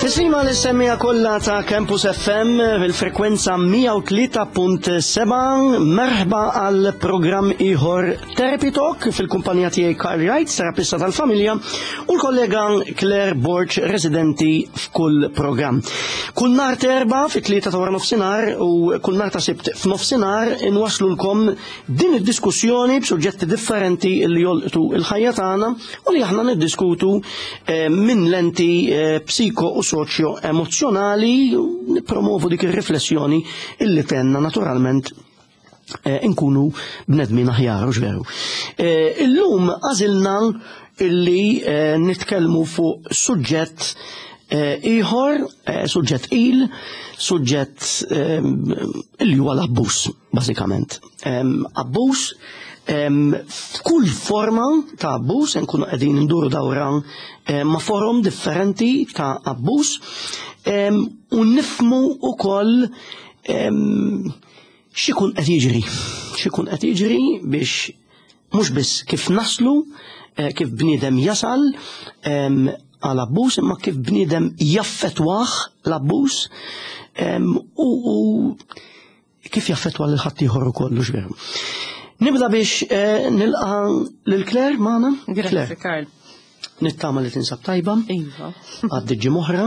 Tislima l-semmija kollha ta' Campus FM fil-frekwenza 103.7 merħba għal programm ieħor Therapy Talk fil-kumpanija tiegħi Carl Wright, terapista tal-familja, u l-kollega Claire Borg, residenti f'kull programm. Kull nhar terba fit-tlieta ta' wara nofsinhar u kull nhar ta' sibt f'nofsinhar inwaslulkom din id-diskussjoni b'suġġetti differenti li jolqtu il-ħajja tagħna u li aħna niddiskutu eh, minn lenti eh, psiko u soċjo emozjonali nippromovu dik ir-riflessjoni illi tenna naturalment eh, inkunu bnedmin aħjar, u veru. Illum għażilna illi nitkellmu fuq suġġett ieħor, suġġett il, suġġett illi huwa l-abbuż bażikament. Abbuż f'kull forma ta' abbuż, nkunu qegħdin nduru dawra ma' forom differenti ta' abbuż u nifmu ukoll x'ikun qed jiġri, x'ikun qed jiġri biex mhux biss kif naslu, eh, kif bniedem jasal għal abbuż, imma kif bniedem jaffetwah l-abbuż u kif jaffetwa lil ħaddieħor ukoll hux veru. Nibda biex eh, nilqa lil Claire magħna. Grazzi Karl. Nittama li tinsab tajba. Iva. Għaddi ġimoħra.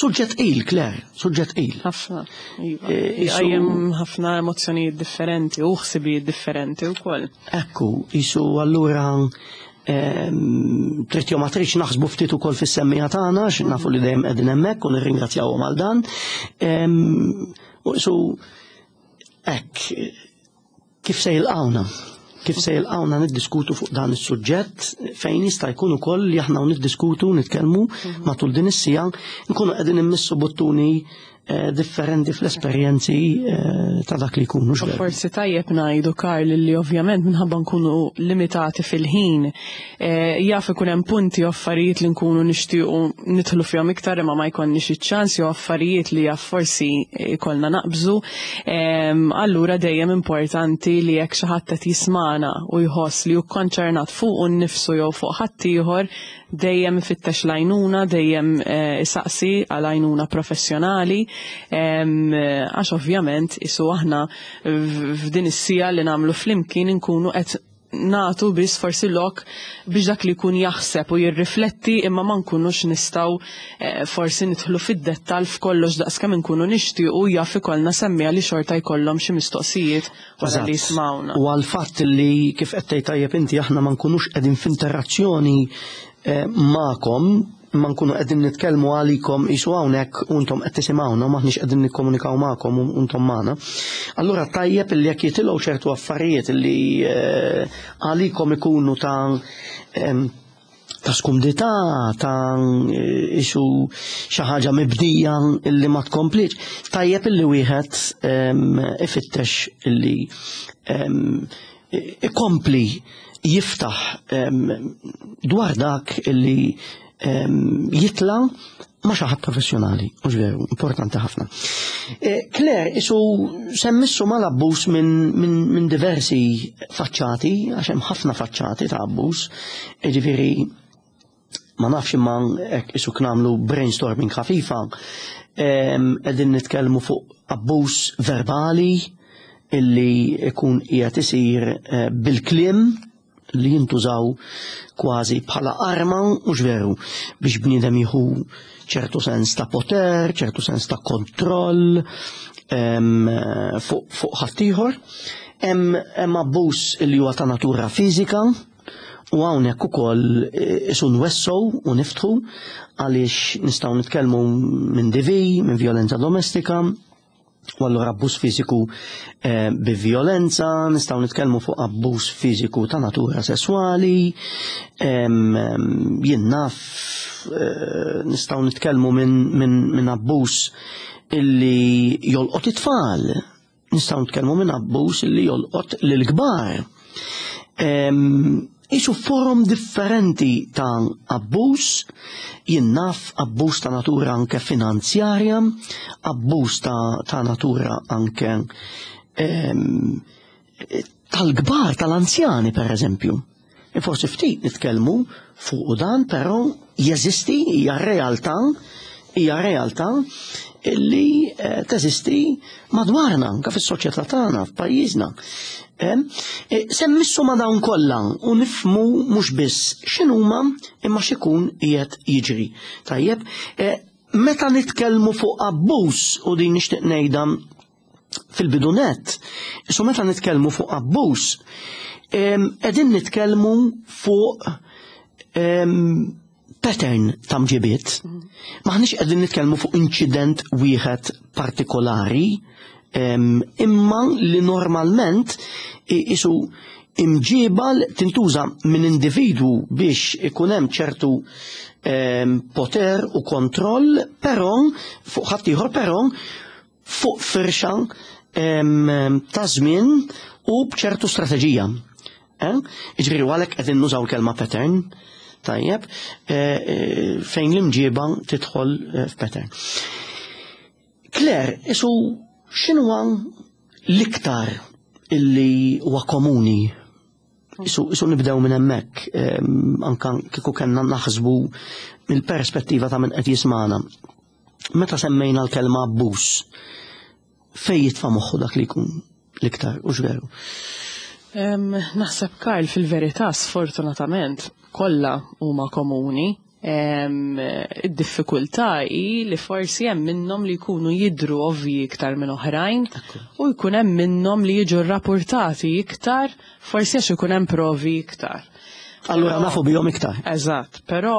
Suġġett il, Claire, suġġett il. Ħafna. Iva. Eh, Għajem ħafna emozjonijiet differenti u ħsibijiet differenti u koll. Ekku, jisu allura trid jew ma tridx naħsbu ftit ukoll fis-semmija tagħna, nafu li dejjem qegħdin hemmhekk u nirringrazzjawhom għal dan. U su hekk kif se jilqawna? Kif se jilqawna niddiskutu fuq dan is-suġġett fejn jista' jkun ukoll li aħna niddiskutu nitkellmu mhm. matul din is-sija nkunu qegħdin immissu buttuni Eh, differenti fl-esperjenzi eh, ta' dak li jkunu. Forsi tajjeb ngħidu Karl li ovvjament minħabba nkunu limitati fil-ħin eh, jaf ikun hemm punti u affarijiet li nkunu nixtiequ nidħlu fihom iktar imma ma jkollniex iċ-ċans jew affarijiet li jaf forsi jkollna naqbżu. Allura dejjem importanti li jekk xi ħadd qed jismana u jħoss li hu konċernat fuqu nnifsu jew fuq ħaddieħor dejjem ifittex l-għajnuna, dejjem eh, isaqsi għal għajnuna professjonali, għax ovvjament isu aħna f'din is-sija li nagħmlu flimkien inkunu qed natu biss forsi lok biex dak li jkun jaħseb u jirrifletti imma ma nkunux nistgħu eh, forsi nidħlu fid-dettal f'kollox daqskemm inkunu nixtiequ jaf ikollna semmija li xorta jkollhom xi mistoqsijiet wara li jismawna. U għal fatt li kif qed tgħid tajjeb inti aħna ma nkunux qegħdin f'interazzjoni eh, magħkom ma nkunu qegħdin nitkellmu għalikom isu hawnhekk u intom qed tisimgħuna u maħniex qegħdin nikkomunikaw magħkom u intom magħna. Allura tajjeb li jekk jitilgħu ċertu affarijiet li eh, għalikom ikunu ta' ta' skumdità, ta' eh, isu xi ħaġa mibdija illi ma tkomplix, tajjeb illi wieħed ifittex illi ikompli jiftaħ dwar dak illi jitla ma xi ħadd professjonali, mhux veru, importanti ħafna. Eh, Claire, isu semmissu mal-abbuż minn min, min diversi faċċati, għax hemm ħafna faċċati ta' abbuż, jiġifieri ma nafx imma hekk isu nagħmlu brainstorming ħafifa, qegħdin nitkellmu fuq abbuż verbali illi ikun qiegħed isir eh, bil-kliem li jintużaw kważi bħala arma mhux veru biex bniedem jieħu ċertu sens ta' poter, ċertu sens ta' kontroll fuq fu ħaddieħor. Hemm abbuż li huwa ta' natura fiżika u hawnhekk ukoll eh, isu nwessow u niftħu għaliex nistgħu nitkellmu minn DV, minn violenza domestika, U allura abbuż fiżiku eh, bi violenza, nistgħu nitkellmu fuq abbuż fiżiku ta' natura sesswali, jien naf eh, nistgħu nitkellmu minn min, min abbuż illi jolqot it-tfal, nistgħu nitkellmu minn abbuż illi jolqot lill-kbar. Isu forom differenti ta' abbuż, jien naf abbuż ta' natura anke finanzjarja, abbuż ta', ta natura anke ehm, tal-kbar, tal-anzjani per eżempju. E forsi ftit nitkellmu fuq dan, però jeżisti hija realtà hija realtà illi eh, teżisti madwarna, anke fis-soċjetà tagħna, f'pajjiżna. Eh, eh, semmissu ma dawn kollha u nifmu mhux biss x'inhuma imma x'ikun qiegħed jiġri. Tajjeb, meta nitkellmu fuq abbuż u din nixtieq ngħidha fil-bidu nett, so meta nitkellmu fuq abbuż, qegħdin nitkellmu fuq pattern ta' mġibiet. Maħniex qegħdin nitkellmu fuq inċident wieħed partikolari, imma li normalment isu imġiba tintuża minn individwu biex ikun hemm ċertu poter u kontroll, però fuq ħaddieħor però fuq firxa ta' żmien u b'ċertu strateġija. Eh? Iġifieri għalhekk qegħdin nużaw il-kelma pattern, tajjeb, eh, eh, fejn l-imġiba tidħol f'pattern. Claire, isu x'inhuwa l-iktar illi huwa komuni Isu, isu nibdew minn hemmhekk, anka kieku kellna naħsbu mill-perspettiva ta' min qed jismana. Meta semmejna l-kelma abbuż, fej jitfa' moħħu dak li jkun l-iktar, u veru? Naħseb Karl fil-verità sfortunatament kollha huma komuni. Id-diffikultà hi li forsi hemm minnhom li jkunu jidhru ovvji iktar minn oħrajn u jkun hemm minnhom li jiġu rrapurtati iktar forsi għax ikun hemm provi iktar. Allura nafu bihom iktar. Eżatt, però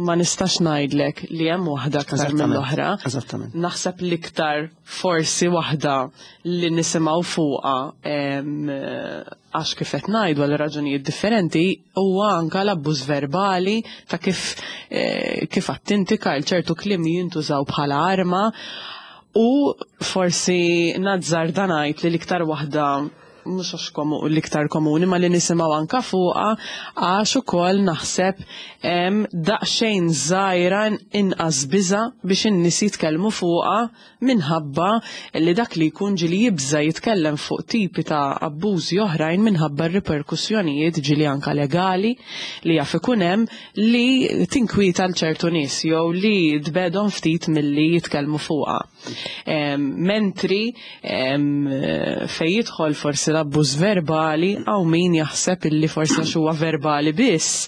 ma nistax ngħidlek li hemm waħda aktar mill-oħra. Eżattament. Naħseb l-iktar forsi waħda li nisimgħu fuqha għax kif qed ngħidu għal raġunijiet differenti huwa anka l-abbuż verbali ta' kif eh, kif attintika l ċertu kliem jintużaw bħala arma u forsi nazzar ngħid li l-iktar waħda mhux għax l-iktar komuni ma li nisimgħu anka fuqha għax ukoll naħseb hemm daqsxejn żgħira inqas biża biex in-nies jitkellmu fuqha minħabba li dak li jkun ġieli jibża jitkellem fuq tipi ta' abbużi oħrajn minħabba r-riperkussjonijiet ġieli anka legali li jaf ikun hemm li tinkwieta l ċertu nies jew li tbedhom ftit milli jitkellmu fuqha. Mentri fej jidħol forsi l-abbuż verbali hawn min jaħseb illi forsi għax huwa verbali biss,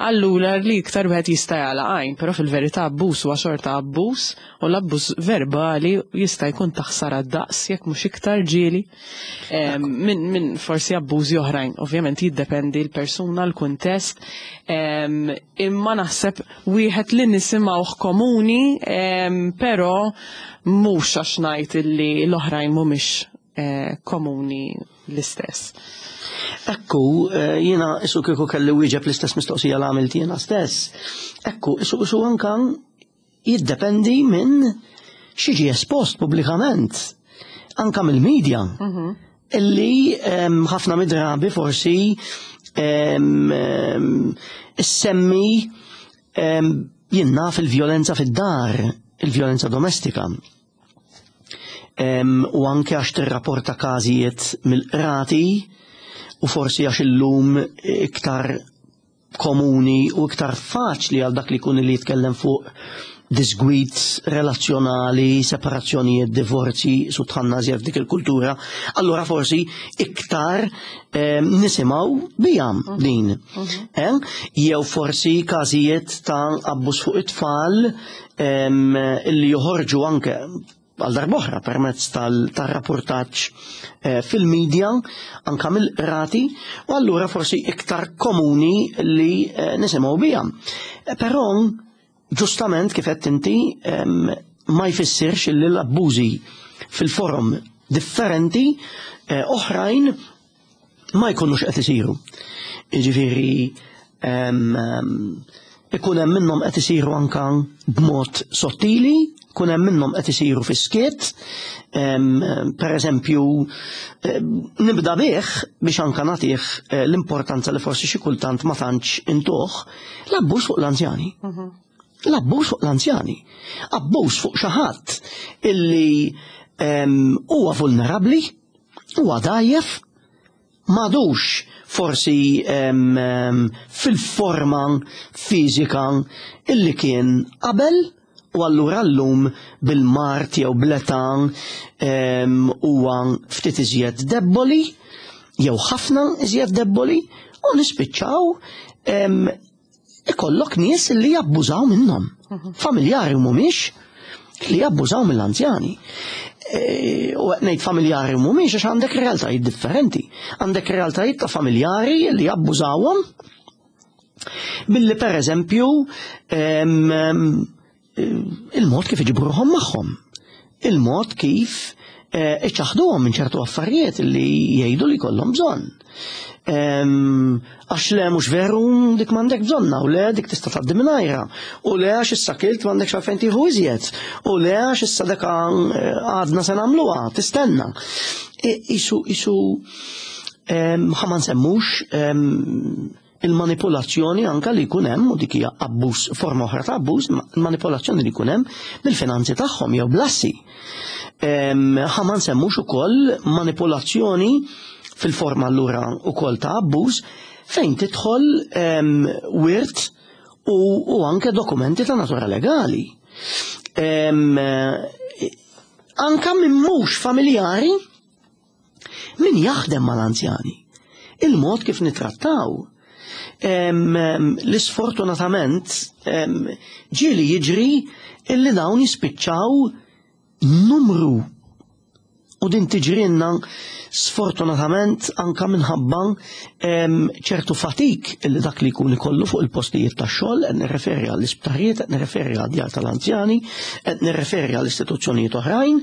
allura li iktar wieħed jista' jagħlaq għajn, però fil-verità abbuż huwa xorta abbuż u l-abbuż verbali jista' jkun ta' ħsara daqs jekk mhux iktar ġieli minn min forsi abbużi oħrajn. Ovvjament jiddependi l-persuna, l-kuntest, imma naħseb wieħed li nisimgħuh komuni, però mhux għax ngħid illi l-oħrajn mhumiex eh, komuni l-istess. Ekku, eh, jiena isu kieku kelli wieġeb l-istess mistoqsija l għamilt jiena stess. Ekku, isu isu anka jiddependi minn xiġi espost pubblikament, anka mill-medja. Mhm. Illi ħafna mid-drabi forsi semmi jinnaf il-vjolenza fid-dar, il-vjolenza domestika. U anke għax tirrapporta każijiet mill-qrati u forsi għax illum iktar komuni u iktar faċli għal dak li jkun li jitkellem fuq disgwid relazzjonali, separazzjonijiet, divorzi, su tħanna f'dik il-kultura, allura forsi iktar eh, nisimgħu bija mhm. din. Mhm. Eh? Jew forsi każijiet ta' abbuż fuq it-tfal illi joħorġu anke għal darb'oħra permezz tal-rapportaġġ eh, fil-medja anka mill-qrati u allura forsi iktar komuni li eh, nisimgħu biha. Eh, però ġustament kif qed inti ma jfissirx li l-abbużi fil-forum differenti oħrajn ma jkunux qed isiru. Jiġifieri ikun hemm minnhom qed isiru anka b'mod sottili, kun hemm minnhom qed isiru fis-skiet, per eżempju nibda bih biex anka nagħtih eh, l-importanza li forsi xi kultant ma tantx intuh, l-abbuż fuq l-anzjani. Mhm. L-abbuż fuq l-anzjani. Abbuż fuq xi ħadd illi huwa vulnerabbli, huwa dgħajjef, m'għadux forsi fil-forma fiżika illi kien qabel. U allura llum bil-mard jew bl-età huwa ftit iżjed debboli jew ħafna iżjed debboli u nispiċċaw ikollok nies li jabbużaw minnhom. Familjari mhumiex li jabbużaw mill-anzjani. E, u qed ngħid familjari mhumiex għax għandek realtajiet differenti. Għandek realtajiet ta' familjari li jabbużawhom billi per eżempju il-mod kif iġibruhom magħhom, il-mod kif eh, iċaħduhom minn ċertu affarijiet li jgħidu li kollhom bżonn. Għax le mhux veru dik m'għandek bżonna u le dik tista' tgħaddi mingħajra u le għax issa kilt m'għandekx għalfejn tieħu iżjed u le għax issa deka eh, għadna se nagħmluha tistenna. Isu isu ħa ma nsemmux il-manipolazzjoni anka li jkun hemm u dik hija abbuż forma oħra ta' abbuż, manipolazzjoni li jkun hemm bil-finanzi tagħhom jew blassi. Ħa ma nsemmux ukoll manipolazzjoni fil-forma allura ukoll ta' abbuż fejn tidħol wirt u, u anke dokumenti ta' natura legali. Anka minn mhux familjari Min jaħdem mal-anzjani? Il-mod kif nitrattaw. L-isfortunatament ġieli jiġri illi dawn jispiċċaw numru u din tiġrinna sfortunatament anka minħabba ċertu fatik illi dak li jkun ikollu fuq il-postijiet ta' xogħol, qed nirreferi għall-isptarijiet, qed nirreferi għad-djar tal-anzjani, qed nirreferi għall-istituzzjonijiet oħrajn,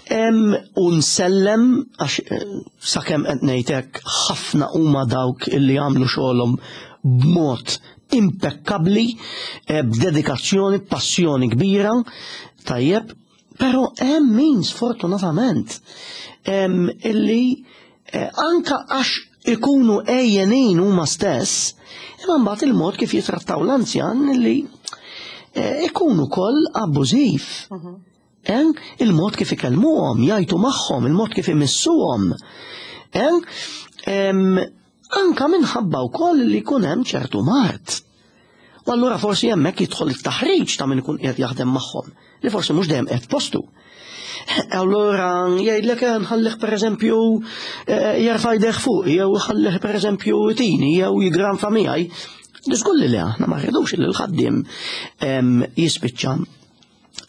U nsellem għax eh, sakemm qed ngħidlek ħafna huma dawk illi jagħmlu xogħolhom b'mod impekkabbli, eh, b'dedikazzjoni, b'passjoni kbira, tajjeb, però hemm min sfortunatament illi eh, anka għax ikunu ejjenin huma stess, imma mbagħad il-mod kif jitrattaw l-anzjan illi ikunu koll abbużiv. Mhm. Eh? Il-mod kif ikellmuhom, jgħajtu magħhom, il-mod kif imissuhom. Eh? Anka minħabba wkoll li jkun hemm ċertu mard. U allura forsi hemmhekk jidħol it-taħriġ ta' min ikun qiegħed jaħdem magħhom, li forsi mhux dejjem qed postu. Allura jgħidlek eh, nħallih pereżempju eh, jerfa' jdejh fuq, jew ħallih pereżempju tini, jew jigranfa miegħi. Diskulli li aħna ma rridux li l-ħaddiem jispiċċa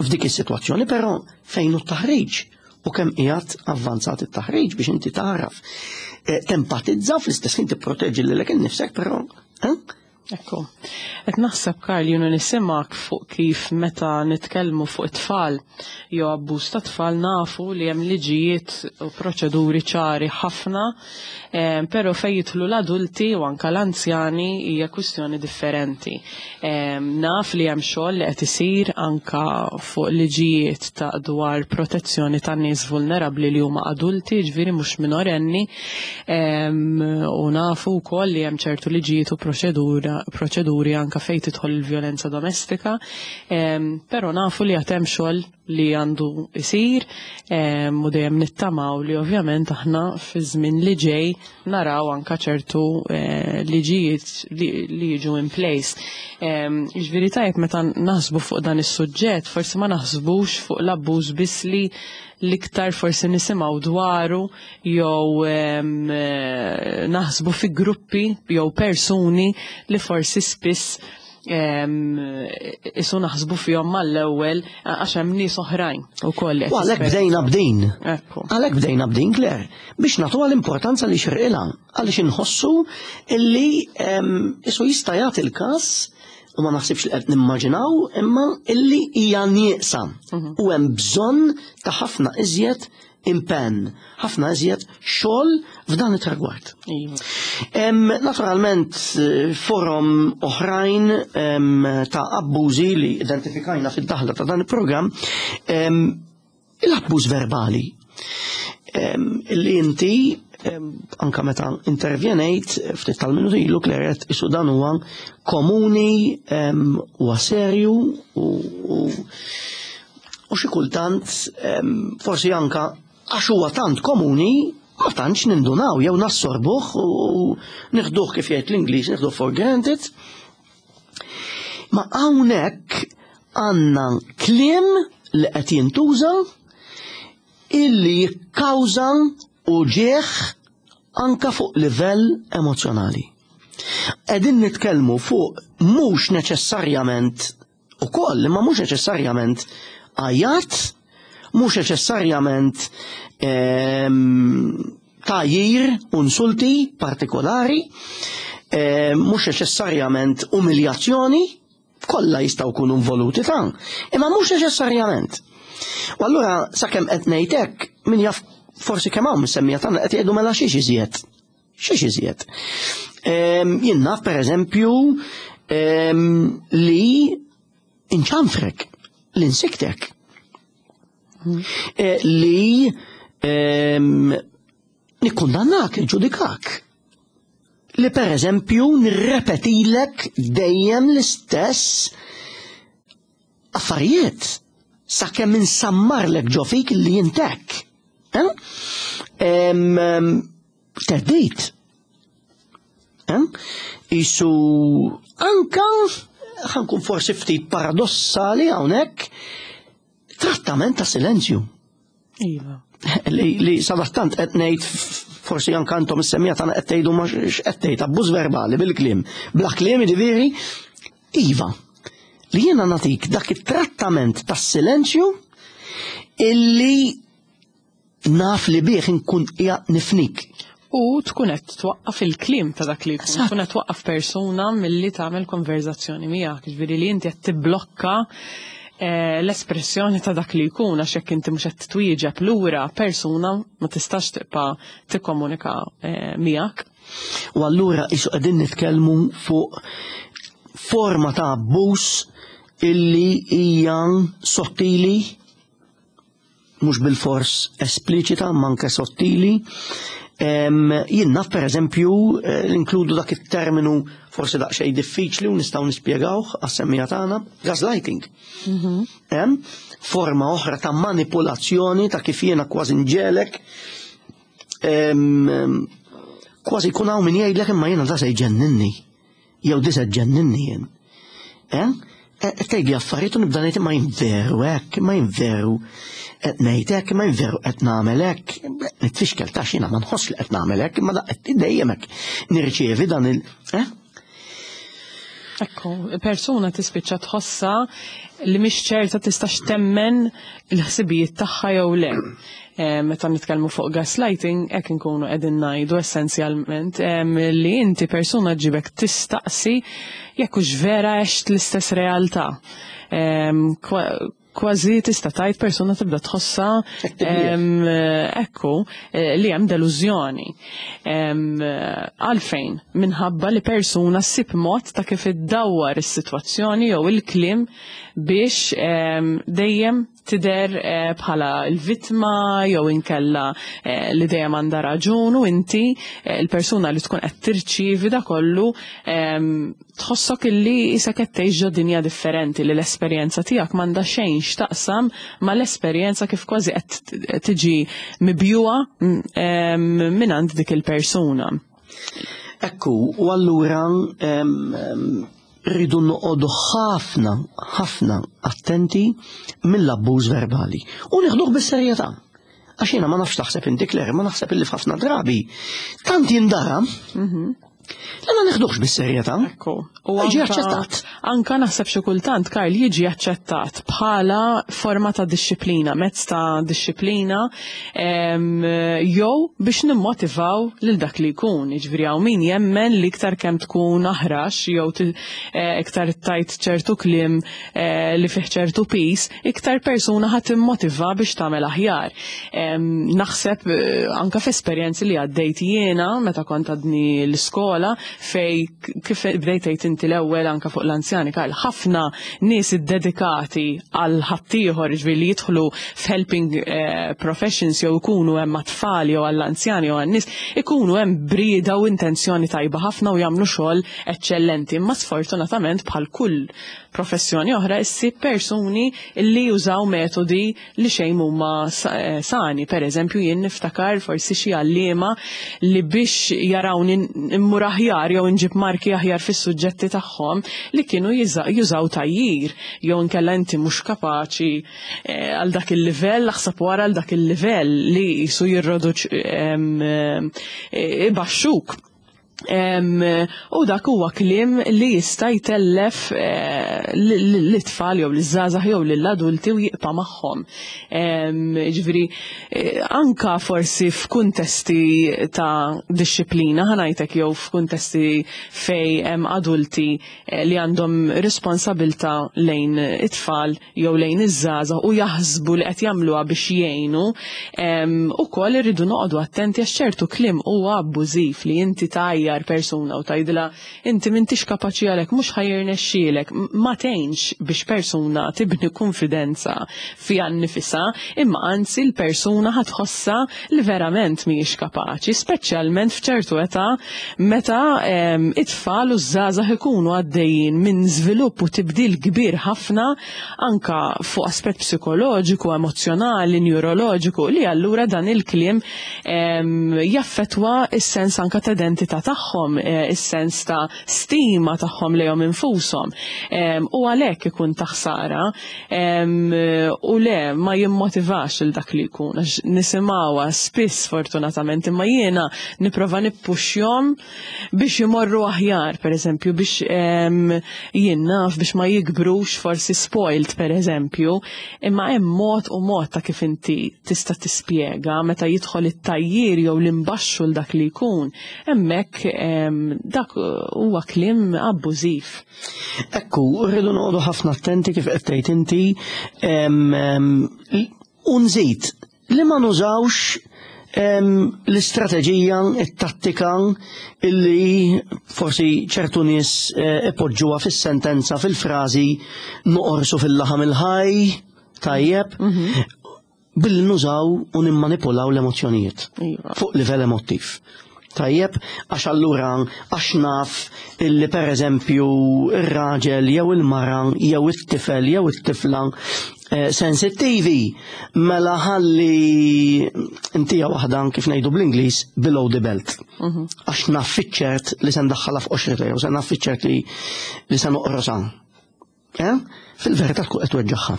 f'dik is-sitwazzjoni, però fejn hu t-taħriġ u kemm qiegħed avvanzat it-taħriġ biex inti tagħraf eh, tempatizza fl-istess ħin tipproteġi lilek innifsek, però eh? Ekku. Qed naħseb Karl junu nisimak fuq kif meta nitkellmu fuq it-tfal jew abbuż ta' tfal nafu li hemm liġijiet u proċeduri ċari ħafna, eh, però fejn jidħlu l-adulti u anka l-anzjani hija kwistjoni differenti. Naf li hemm xogħol li qed isir anka fuq liġijiet ta' dwar protezzjoni ta' nies vulnerabbli li huma adulti, ġifieri mhux minorenni, u nafu wkoll li hemm ċertu liġijiet u proċeduri anka fejn tidħol il-vjolenza domestika, però nafu li għad hemm xogħol li għandu isir u dejjem nittamaw li ovvjament aħna fi żmien li ġej naraw anka ċertu eh, liġijiet li jiġu in place. Ġifieri tajjeb meta naħsbu fuq dan is-suġġett, forsi ma naħsbux fuq l-abbuż biss li l-iktar forsi nisimgħu dwaru jew eh, naħsbu fi gruppi jew persuni li forsi spiss isu naħsbu fihom mal-ewwel għax hemm nies oħrajn ukoll. U għalhekk bdejna b'din. Għalhekk bdejna b'din, Claire, biex nagħtuha l-importanza li xirqilha għaliex inħossu illi isu jista' jagħti l-każ u ma naħsibx li qed nimmaġinaw imma illi hija nieqsa mhm. u hemm bżonn ta' ħafna iżjed impenn, ħafna iżjed xogħol f'dan it-tragward. Iva. Naturalment, eh, forum oħrajn ta' abbużi li identifikajna fid-daħla ta' dan il-programm, l-abbuż verbali. Li inti anka meta intervjenejt ftit tal-minuti ilu kleret isu dan huwa komuni huwa serju u U xi kultant forsi anka għax huwa tant komuni ma tantx nindunaw jew nassorbuh u nieħduh kif jgħid l-Ingliż nieħduh for granted. Ma hawnhekk Għandna kliem li qed jintuża illi jikkawża uġigħ anka fuq livell emozzjonali. Qegħdin nitkellmu fuq mhux neċessarjament ukoll, imma mhux neċessarjament għajat, mhux neċessarjament tgħajjir u insulti partikolari, mhux neċessarjament umiljazzjoni, kollha jistgħu jkunu involuti ta' imma mhux neċessarjament. U allura sakemm qed ngħid hekk, min jaf forsi kemm hawn mis-semmija tagħna qed jgħidu mela xiex iżjed. Xiex iżjed. Jien naf pereżempju li inċanfrek, li nsiktek. Li nikkundannak, nġudikak. Li per eżempju nirrepetilek dejjem l-istess affarijiet sakemm insammarlek ġo fik li jintek. Eh? Teddit. Eh? Isu anka ħankun forsi ftit paradossali hawnhekk trattament ta' silenzju. Iva. Li, li sadattant qed ngħid forsi anke intom is-semmija tagħna qed tgħidu ma x'qed tgħid abbuż verbali bil-kliem. Bla kliem jiġifieri iva. Li jiena nagħtik dak it-trattament tas-silenzju illi naf li bih inkun qiegħed nifnik. U tkun qed twaqqaf il-kliem ta' dak li jkun, tkun qed twaqqaf persuna milli tagħmel konverzazzjoni miegħek, jiġifieri li inti qed tibblokka eh, l-espressjoni ta' dak li jkun għax jekk inti mhux qed twieġeb lura persuna ma tistax tibqa' tikkomunika eh, miegħek. U allura isu qegħdin nitkellmu fuq forma ta' abbuż illi hija sottili mhux bilfors espliċita imma anke sottili. Jien naf pereżempju eh, inkludu dak it-terminu forsi daqsxejn diffiċli u nistgħu nispjegawh għas-semmija tagħna, gaslighting. Mhm. Forma oħra ta' manipulazzjoni ta' kif jiena kważi nġelek kważi jkun hawn min jgħidlek imma jiena da se jġenninni. Jew di se ġenninni jien. Eh? eh tgħidli affarijiet u nibda ngħid imma jien veru hekk, imma jien veru qed ngħid hekk, imma jien veru qed nagħmel hekk. Nitfixkel ta' xina ma nħoss li qed nagħmel hekk, imma daqq dejjem hekk nirċievi dan il. Eh? Ekku, persuna tispiċċa tħossa li mhix ċerta tistax temmen il-ħsibijiet tagħha jew le. Eh, meta nitkellmu fuq gaslighting, hekk inkunu qegħdin ngħidu essenzjalment li inti persuna ġibek tistaqsi jekk hux vera għext l-istess realtà. Kważi tista' tgħid persuna tibda tħossha ekku eh, li hemm delużjoni. Għalfejn minħabba li persuna ssib mod ta' kif iddawwar is-sitwazzjoni jew il-kliem biex dejjem tidher eh, bħala l-vittma jew inkella eh, li dejjem għandha raġun u inti eh, l-persuna li tkun qed tirċievi da kollu ehm, tħossok illi isek qed tgħix ġo dinja differenti li l-esperjenza tiegħek m'għandha xejn x'taqsam mal-esperjenza kif kważi qed tiġi mibjuha mm, ehm, minn dik il-persuna. Ekku, u allura ehm, rridu noqogħdu ħafna, ħafna attenti mill-abbuż verbali. U nieħduh bis-serjetà. Għax jiena ma nafx taħseb inti Claire, ma naħseb illi f'ħafna drabi tant jindara mhm. li ma neħduhx bis-serjetà. Ekku. U jiġi aċċettat. Anka naħseb xi kultant Karl jiġi aċċettat bħala forma ta' disċiplina, mezz ta' disċiplina jew biex nimmotivaw lil dak li jkun. Jiġifieri hawn min jemmen li iktar kemm tkun aħrax jew eh, iktar tajt ċertu kliem eh, li fih ċertu pis, iktar persuna ħadd immotiva biex tagħmel aħjar. Naħseb eh, anka f'esperjenzi li għaddejt jiena meta kont għadni l-iskola fej kif bdejt tgħid inti l-ewwel anka fuq l-anzjani Karl, ħafna nies iddedikati għal ħaddieħor ġifieri li jidħlu f'helping eh, professions jew ikunu hemm mat-tfal jew għall-anzjani jew għan-nies, ikunu hemm brieda u intenzjoni tajba ħafna u jagħmlu xogħol eċċellenti. Imma sfortunatament bħal kull professjoni oħra issib persuni li jużaw metodi li xejn huma sani. Per eżempju, jien niftakar forsi xi għalliema li biex jarawni immur aħjar jew nġib marki aħjar fis-suġġetti tagħhom li kienu jużaw tgħajjir jew inkella inti mhux kapaċi għal dak il-livell, aħseb wara għal dak il-livell li jisu jirroduċ ibaxxuk. U dak huwa kliem li jista' jtellef l-tfal jew l-żgħażagħ jew lill-adulti u jibqa' magħhom. Ġifieri anka forsi f'kuntesti ta' dixxiplina ħa ngħidlek jew f'kuntesti fejn hemm adulti li għandhom responsabilta lejn it-tfal jew lejn iż-żgħażagħ u jaħsbu li qed jagħmluha biex jgħinu, ukoll irridu noqogħdu attenti għax ċertu kliem huwa abbużiv li inti tgħajjar persuna u tgħidilha inti m'intix kapaċi għalhekk mhux ħa jirnexxielek, ma tgħinx biex persuna tibni konfidenza fiha nnifisha, imma anzi l-persuna ħa tħossha li verament mhijiex kapaċi, speċjalment f'ċertu età meta it-tfal u ż-żgħażagħ ikunu għaddejjin minn żvilupp u tibdil kbir ħafna anka fuq aspett psikoloġiku, emozjonali, neuroloġiku, li allura dan il-kliem jaffetwa is-sens anka ta' identità tagħhom, is-sens ta' stima tagħhom lejhom infushom. U għalhekk ikun ta' ħsara u le ma jimmotivax il dak li jkun, għax nisimgħuha spiss fortunatament, imma jiena nipprova nippuxjhom biex imorru aħjar, per eżempju, biex jien naf biex ma jikbrux forsi spoiled, per eżempju, imma hemm mod u mod ta' kif inti tista' tispjega meta jidħol it-tgħajjir jew l-imbaxxu l dak li jkun, hemmhekk dak huwa kliem abbużiv. Ekku, rridu noqogħdu ħafna attenti kif qed tgħid inti u nżid li ma nużawx l-istrateġija, it-tattika illi forsi ċertu nies ipoġġuha fis-sentenza, fil-frażi noqorsu fil-laħam il-ħaj, tajjeb, billi nużaw u nimmanipulaw l-emozzjonijiet fuq livell emottiv. Tajjeb, għax allura għax naf illi per eżempju ir-raġel jew il-mara jew it-tifel jew it-tifla sensittivi, mela ħalli intija waħda kif ngħidu bl-Ingliż below the belt. Għax naf fiċ-ċert li se ndaħħalha f'qoxrita jew se naf fiċ-ċert li se noqrosa. Fil-verità tkun qed tweġġagħha.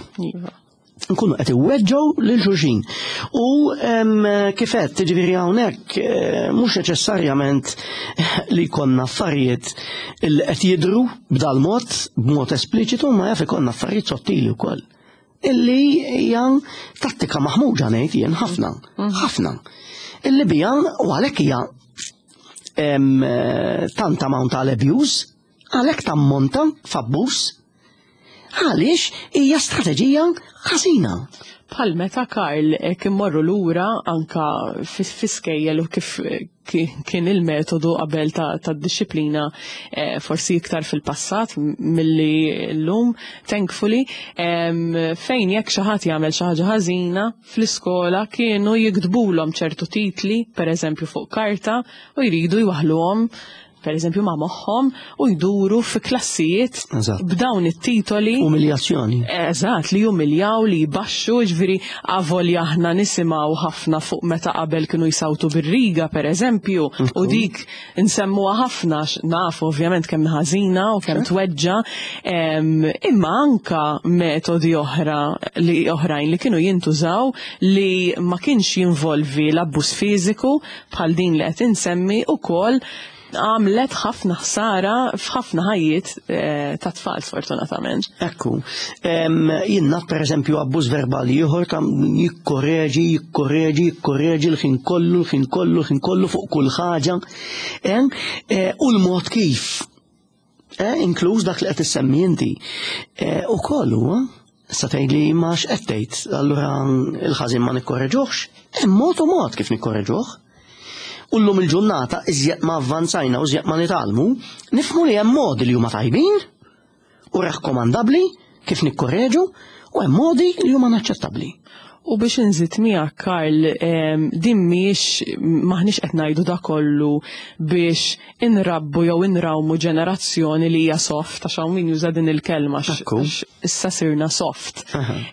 Nkunu qed iweġġgħu lil xulxin. U kif qed tiġifieri hawnhekk mhux neċessarjament li jkollna affarijiet li qed jidhru b'dal mod, b'mod espliċitu, ma jaf ikollna affarijiet sottili wkoll. Illi hija tattika maħmuġa ngħid jien ħafna, ħafna. Illi bija u għalhekk hija tant amount tal abuse, għalhekk tammonta f'abbuż, għaliex hija strateġija ħażina. Bħal meta Karl kien morru lura anka fiskejjel u kif kien il-metodu qabel ta' disciplina forsi iktar fil-passat milli l-lum, thankfully, fejn jekk xi ħadd jagħmel xi ħaġa ħażina fl-iskola kienu jiktbulhom ċertu titli, per eżempju fuq karta, u jridu jwaħluhom per eżempju ma' moħħom u jduru fi klassijiet b'dawn it-titoli. Umiljazzjoni. Eżatt, li jumiljaw, li jbaxxu, ġifieri avolja aħna nisimgħu ħafna fuq meta qabel kienu jsawtu bir-riga per eżempju, u dik nsemmuha ħafna nafu ovvjament kemm ħażina u kemm tweġġa, imma anka metodi oħra li oħrajn li kienu jintużaw li ma kienx jinvolvi l-abbuż fiżiku bħal din li qed insemmi ukoll għamlet ħafna ħsara f'ħafna ħajjiet ta' tfal sfortunatament. Ekku, jien naf per eżempju abbuż verbali ieħor ta' jikkoreġi, jikkoreġi, jikkoreġi l-ħin kollu, l-ħin kollu, l-ħin kollu fuq kull ħaġa. U l-mod kif, inkluż dak li qed issemmi inti. U kollu, huwa, sa tgħid li ma x'qed tgħid, allura il-ħażin ma nikkoreġuhx, hemm mod u mod kif nikkoreġuh. U llum il-ġurnata iżjed ma avvanzajna u iżjed ma nitgħallmu, nifhmu li hemm modi li huma tajbin u rakkomandabbli kif nikkoreġu u hemm modi li huma inaċċettabbli. U biex inżid miegħek Karl, din mhijiex, m'aħniex qed ngħidu da kollu biex inrabbu jew inrawmu ġenerazzjoni li hija soft, għax hawn min juża din il-kelma għax issa sirna soft.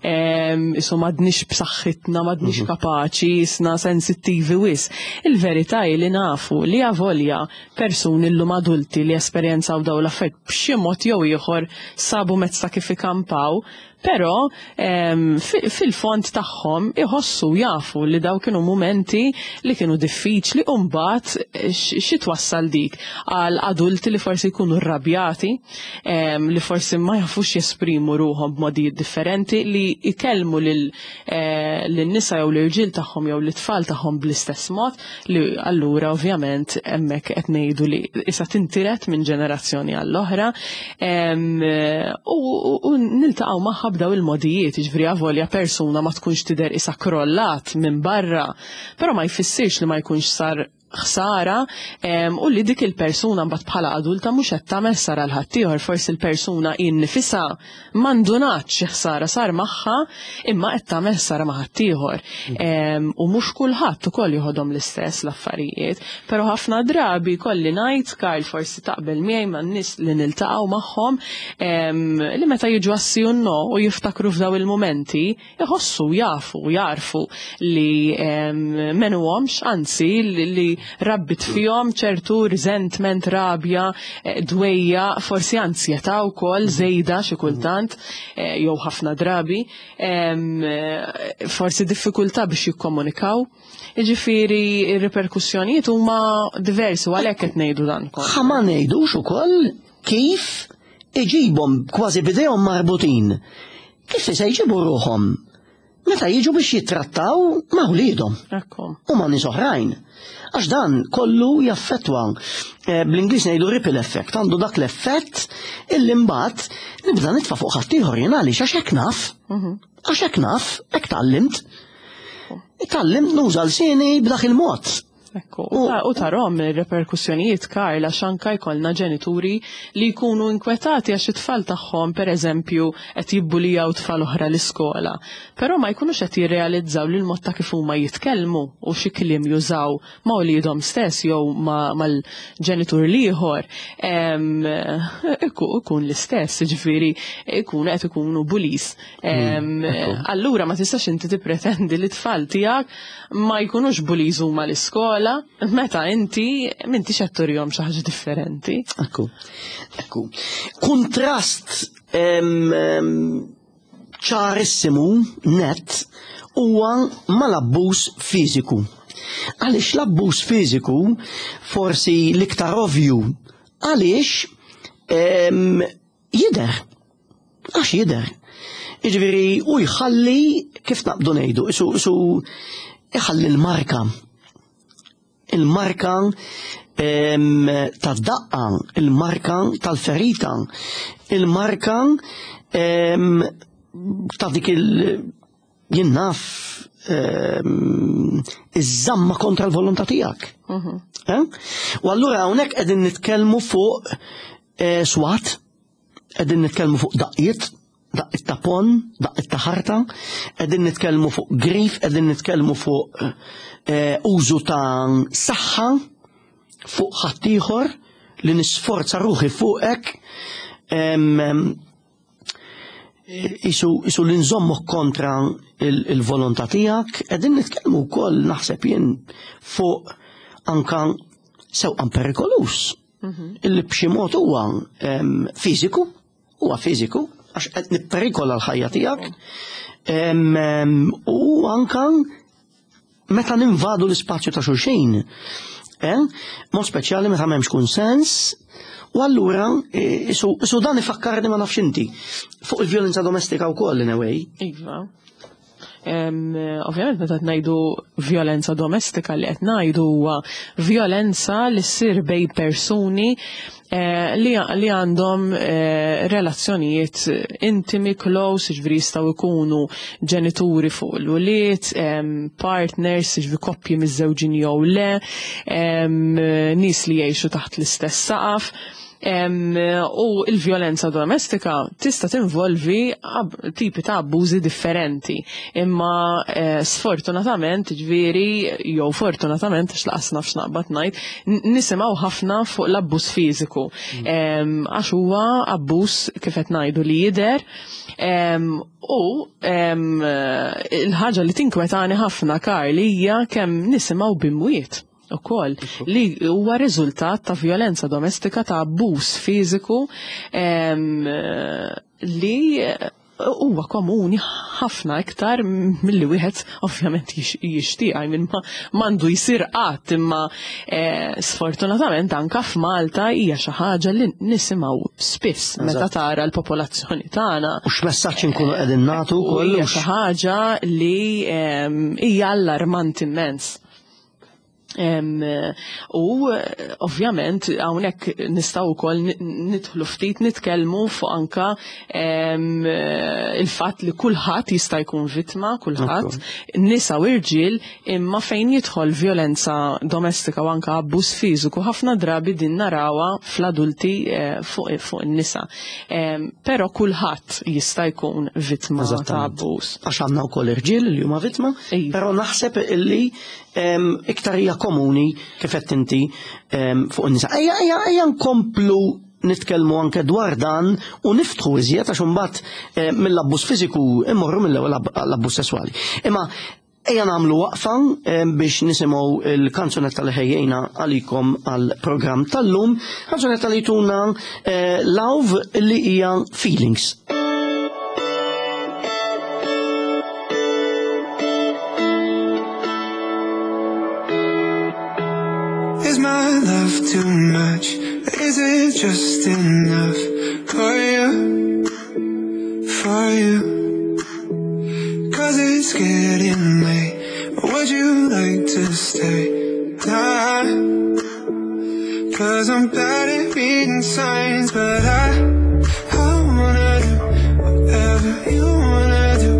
Isu m'għadniex b'saħħitna, m'għadniex kapaċi, isna sensittivi wis. Il-verità hi li nafu li avolja persuni llum adulti li esperjenzaw dawn l-affarijiet b'xi mod jew ieħor sabu mezz ta' kif ikampaw, Però fil-fond tagħhom iħossu jafu li daw kienu mumenti li kienu diffiċli u mbagħad xi twassal dik għal adulti li forsi jkunu rrabjati, li forsi ma jafux jesprimu ruħhom b'modijiet differenti, li jkellmu lin-nisa jew l-irġiel tagħhom jew l-itfal tagħhom bl-istess mod, li allura ovvjament hemmhekk qed ngħidu li issa tintiret minn ġenerazzjoni għall-oħra u niltaqgħu magħha b'daw il-modijiet, jiġifieri avolja persuna ma tkunx tidher isa krollat minn barra, però ma jfissirx li ma jkunx sar ħsara u li dik il-persuna mbagħad bħala adulta mhux qed tagħmel ħsara l ħaddieħor, forsi l-persuna hi nnifisha ma ndunatx xi ħsara sar magħha imma qed tagħmel ħsara ma' ħaddieħor. U mhux kulħadd ukoll joħodhom l-istess l-affarijiet, però ħafna drabi kolli ngħid, Karl forsi taqbel miegħi man-nies li niltaqgħu magħhom, li meta jiġu għas-sì u n-no u jiftakru f'daw il-mumenti, iħossu, jafu, jagħrfu li m'għenuhomx, anzi li rabbit fihom ċertu resentment, rabja, dwejjaq, forsi ansjetà wkoll żejda xi kultant, jew ħafna drabi, forsi diffikultà biex jikkomunikaw. Jiġifieri r-riperkussjonijiet huma diversi u għalhekk qed ngħidu dan kollu. Ħa ma ngħidux ukoll kif iġibhom kważi b'idejhom marbutin. Kif se jġibu ruħhom meta jiġu biex jittrattaw ma' wliedhom u ma' nies oħrajn. Għax dan kollu jaffettwa, bl-Ingliż ngħidu ripple effect, għandu dak l-effett illi mbagħad nibda nitfa' fuq ħaddieħor jien għaliex għax hekk naf. Għax hekk naf, hekk tgħallimt. Tgħallimt nuża lsieni b'dak il-mod. Ekku, u tarom ir-reperkussjonijiet, Karl, għax anka jkollna ġenituri li jkunu inkwetati għax it-tfal tagħhom, per eżempju, qed jibbulijaw tfal oħra l-iskola. Però ma jkunux qed jirrealizzaw li l-mod ta' kif huma jitkellmu u xi kliem jużaw ma' uliedhom stess jew mal-ġenitur l-ieħor ikun l-istess, jiġifieri ikunu qed ikunu bullies. Allura ma tistax inti tippretendi li t-tfal tiegħek ma jkunux bullies huma l-iskola meta inti m'intix qed turihom xi ħaġa differenti. Ekku, ekku. Kuntrast ċarissimu net huwa mal-abbuż fiżiku. Għaliex l-abbuż fiżiku forsi l-iktar ovvju għaliex jidher. Għax jidher. Jiġifieri u jħalli kif naqbdu ngħidu, isu iħalli l-marka. Il-marka tad-daqqa, il-marka tal-ferita, il-marka ta' dik il- jien naf iż-żamma kontra l-volontà tiegħek. Eh? U allura hawnhekk qegħdin nitkellmu fuq swat, qegħdin nitkellmu fuq daqqiet, daqqiet ta' pon, daqqiet ta' ħarta, qegħdin nitkellmu fuq grif, qegħdin nitkellmu fuq użu ta' saħħa fuq ħaddieħor li nisforza ruħi fuqek, isu li nżommok kontra il-volontà tiegħek, qegħdin nitkellmu wkoll naħseb jien fuq anka sewqan perikolus. Illi b'xi mod huwa fiżiku, huwa fiżiku, għax qed nipperikola l-ħajja tiegħek. U anka meta ninvadu l-ispazju ta' xulxin, mod speċjali meta m'hemmx kunsens, u allura isu dan ifakkarni ma nafx inti fuq il-vjolenza domestika wkoll in a way. Iva. Ovvjament meta qed ngħidu vjolenza domestika li qed ngħidu huwa vjolenza li ssir bejn persuni li għandhom relazzjonijiet intimi, close, jiġifieri jistgħu jkunu ġenituri fuq l-ulied, partners, jiġifieri koppji miżżewġin jew le, nies li jgħixu taħt l-istess saqaf. U l-vjolenza domestika tista' tinvolvi tipi ta' abbużi differenti. Imma eh, sfortunatament, ġifieri, jew fortunatament, għax laqas naf x'naqbad ngħid, nisimgħu ħafna fuq l-abbuż fiżiku. Mm. Għax huwa abbuż kif qed ngħidu li jidher u il-ħaġa li tinkwetani ħafna Karl hija kemm nisimgħu b'imwiet ukoll li huwa riżultat ta' vjolenza domestika ta' abbuż fiżiku li huwa komuni ħafna iktar milli wieħed ovvjament jixtieq I mean m'għandu jsir qatt imma eh, sfortunatament anka f'Malta hija xi ħaġa li nisimgħu spiss meta tara l-popolazzjoni tagħna. U x'messaġġ inkunu qegħdin nagħtu wkoll. Hija xi ħaġa li hija allarmanti immens. U ovvjament hawnhekk nistgħu wkoll nidħlu ftit nitkellmu fuq anka il-fatt li kulħadd jista' jkun vittma, kulħadd, nisa u irġiel, imma fejn jidħol vjolenza domestika u anka abbuż fiżiku ħafna drabi din narawha fl-adulti eh, fuq fuq in-nisa. Però kulħadd jista' jkun vittma ta' abbuż. Għax għandna wkoll irġiel li huma vittma, iva. però naħseb illi iktar hija komuni kif qed inti fuq in-nisa. Ejja, ejja, ejja nkomplu nitkellmu anke dwar dan u niftħu iżjed għax imbagħad eh, mill-abbuż fiżiku immorru mill-ewwel l-abbuż sesswali. Imma ejja nagħmlu waqfa biex nisimgħu il-kanzunetta li ħejjejna għalikom għall-programm tal-lum, kanzunetta li tuna eh, Love li hija Feelings. Is my love too much? Is it just enough for you? For you? Cause it's getting late. Would you like to stay? Nah. Cause I'm bad at reading signs, but I, I wanna do whatever you wanna do.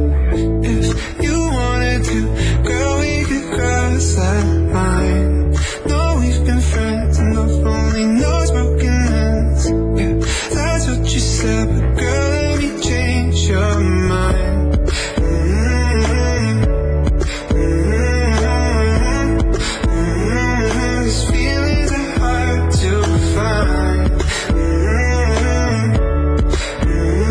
If you wanted to, girl, we could cross that line. No, we've been friends enough, only knows broken hands. Yeah, that's what you said, but girl, let me change your mind. Mm-hmm. Mm-hmm. Mm-hmm. These feelings are hard to find. Mm-hmm. Mm-hmm.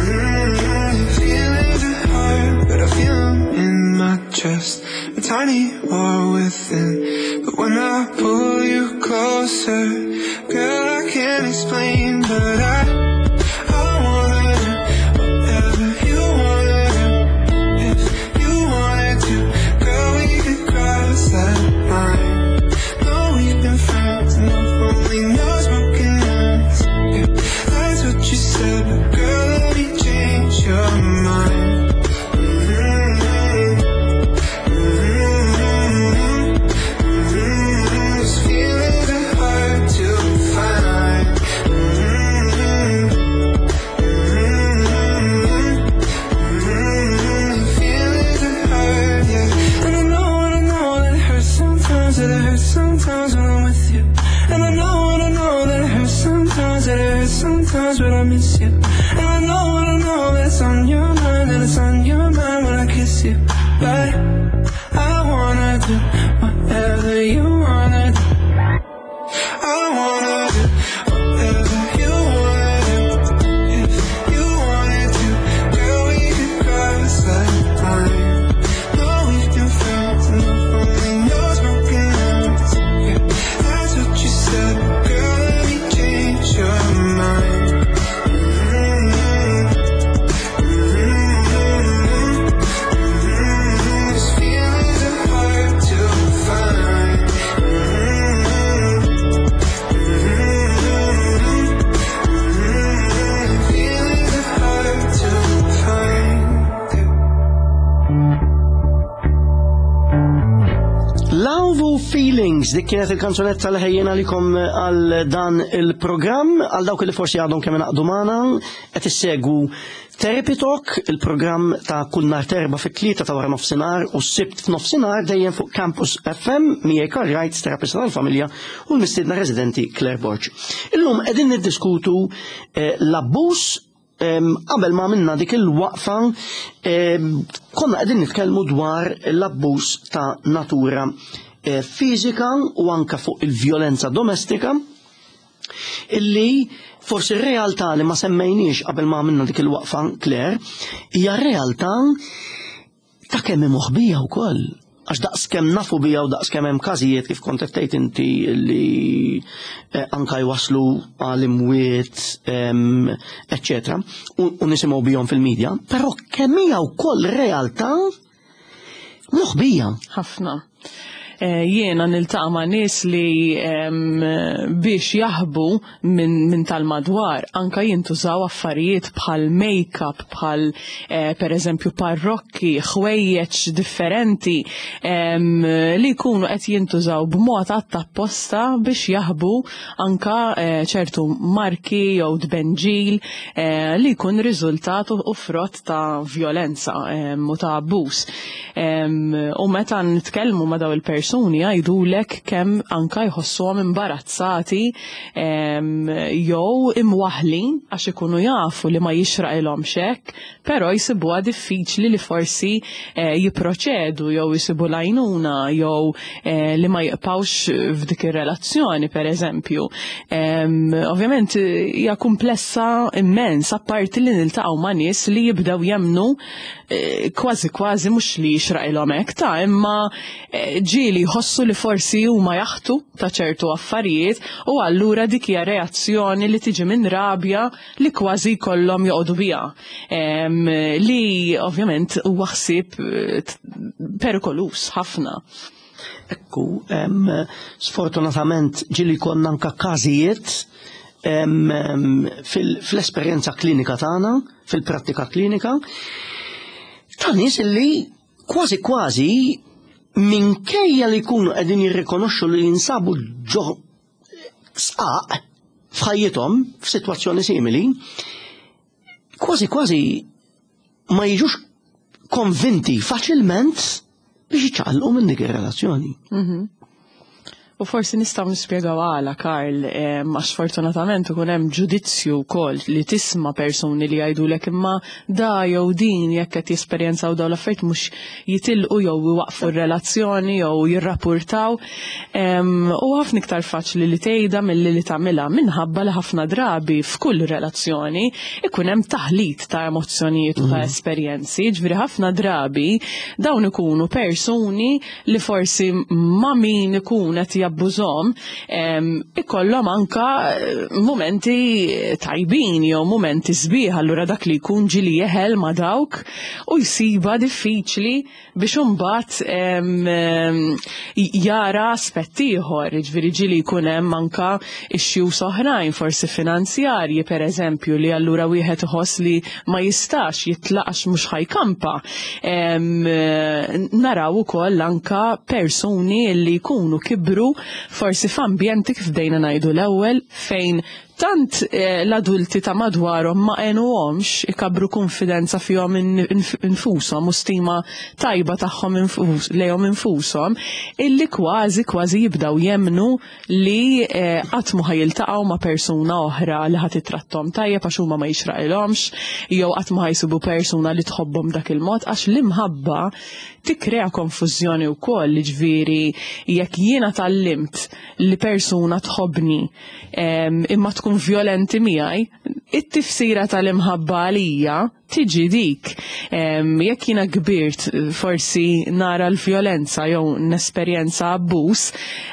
Mm-hmm. Feelings are hard, but I feel 'em in my chest. A tiny war within. But when I pull you closer, girl, I can't explain, but I wanna do whatever you wanna do. If you wanted to, girl, we could cross that line. No, we've been friends enough, only knows broken hands. Yeah, that's what you said, but girl, let me change your mind. Mm-hmm. Mm-hmm. Mm-hmm. These feelings are hard to find. Mm-hmm. Mm-hmm. Mm-hmm. Feelings are hard, yeah. And I know that it hurts sometimes, that it hurts sometimes when I'm with you. And I know that it hurts sometimes, that it hurts sometimes when I miss you. And I know that it's on your mind, that it's on your mind when I kiss you. But I wanna do whatever you wanna do. I wanna do whatever you wanna do. If you wanted to, girl, we could cross that line. No, we've been friends enough, only knows broken hands. Yeah, that's what you said, but girl, let me change your mind. Mm-hmm. Mm-hmm. Mm-hmm. These feelings are hard to find. Mm-hmm. Mm-hmm. Mm-hmm. Feelings are hard to find. Love u Feelings, dik kienet il-kanzunetta li ħejjena likom għal dan il-programm, għal dawk li forsi għadhom kemm ingħaqdu magħna, qed issegwu Therapy Talk, il-programm ta' kull nhar terba fit-tlieta ta' wara nofsinhar u s-sibt f'nofsinhar dejjem fuq Campus FM miegħi Karl Wright, terapista tal-familja u l-mistiedna residenti Claire Borg. Illum qegħdin niddiskutu eh, l-abbuż qabel ma minna dik il-waqfa konna qegħdin nitkellmu dwar l-abbuż ta' natura eh, fiżika u anka fuq il-vjolenza domestika illi forsi r-realtà li ma semmejniex qabel ma għamilna dik il-waqfa Claire hija realtà ta' kemm hi moħbija wkoll. Għax daqs kemm nafu bija u daqs kemm hemm każijiet kif kont qed tgħid inti li eh, anka jwaslu għal imwiet, eċċetera, u nisimgħu bihom fil-medja, però kemm hija wkoll realtà moħbija. Ħafna. Eh, jiena niltaqa' ma' nies li biex jaħbu minn min tal-madwar anka jintużaw affarijiet bħal make-up, bħal eh, per eżempju parrokki, ħwejjeġ differenti li jkunu qed jintużaw b'mod apposta biex jaħbu anka eh, ċertu marki jew tbenġil li jkun riżultat u frott ta' vjolenza u ta' abbuż. U meta nitkellmu ma' daw il-persuni jgħidulek kemm anka jħossuhom imbarazzati jew imwaħlin għax ikunu jafu li ma jixraqilhomx hekk, però jsibuha diffiċli li forsi eh, jipproċedu jew jsibu l-għajnuna jew eh, li ma jibqgħux f'dik ir-relazzjoni pereżempju. Ovvjament hija kumplessa immens apparti li niltaqgħu ma' nies li jibdew jemnu eh, kważi kważi mhux li jixraqilhom hekk ta' imma eh, ġieli jħossu li forsi huma jaħtu ta' ċertu affarijiet u allura dik hija reazzjoni li tiġi minn rabja li kważi jkollhom joqogħdu biha. Li ovvjament huwa ħsieb eh, perikolus ħafna. Ekku, sfortunatament ġili konna anka każijiet fil-esperjenza klinika tagħna, fil-prattika klinika, ta' nies li kważi kważi minkejja li jkunu qegħdin jirrikonoxxu li jinsabu ġo sqaq f'ħajjithom f'sitwazzjoni simili, kważi kważi ma jiġux konvinti faċilment biex jiċċaqalqu minn dik ir-relazzjoni. Mhm. U forsi nistgħu nispjegaw għala, Karl, għax fortunatament ikun hemm ġudizzju wkoll li tisma' persuni li jgħidulek imma da jew din jekk qed jesperjenzaw dawn l-affarijiet mhux jitilqu jew iwaqqfu r-relazzjoni jew jirrapurtaw. U ħafna iktar faċli li tgħidha milli li tagħmilha minħabba li ħafna drabi f'kull relazzjoni ikun hemm taħlit ta' emozzjonijiet u ta' mhm. esperjenzi, ġifieri ħafna drabi dawn ikunu persuni li forsi ma' min ikun qed jabbużhom ikollhom anka eh, mumenti tajbin jew mumenti sbieħ allura dak li jkun ġili jeħel ma' dawk u jsiba diffiċli biex imbagħad jara aspett ieħor, jiġifieri ġieli jkun hemm anka issues oħrajn, forsi finanzjarji pereżempju li allura wieħed iħoss li ma jistax jitlaq għax mhux ħajkampa. Naraw ukoll anka persuni li jkunu kibru forsi f'ambjenti kif bdejna ngħidu l-ewwel fejn Tant l-adulti ta' madwarhom ma għenuhomx ikabbru kunfidenza fihom infushom u stima tajba tagħhom lejhom infushom illi kważi kważi jibdew jemmnu li qatt mhu ħa jiltaqgħu ma' persuna oħra li ħa titratthom tajjeb għax huma ma jixraqilhomx jew qatt mhu ħa jsibu persuna li tħobbhom dak il-mod għax l-imħabba tikkrea konfużjoni wkoll, jiġifieri jekk jiena tgħallimt li persuna tħobbni imma tkun violenti miegħi, it-tifsira tal-imħabba għalija tiġi dik. Jekk jiena kbirt forsi nara l-vjolenza jew nesperjenza abbuż,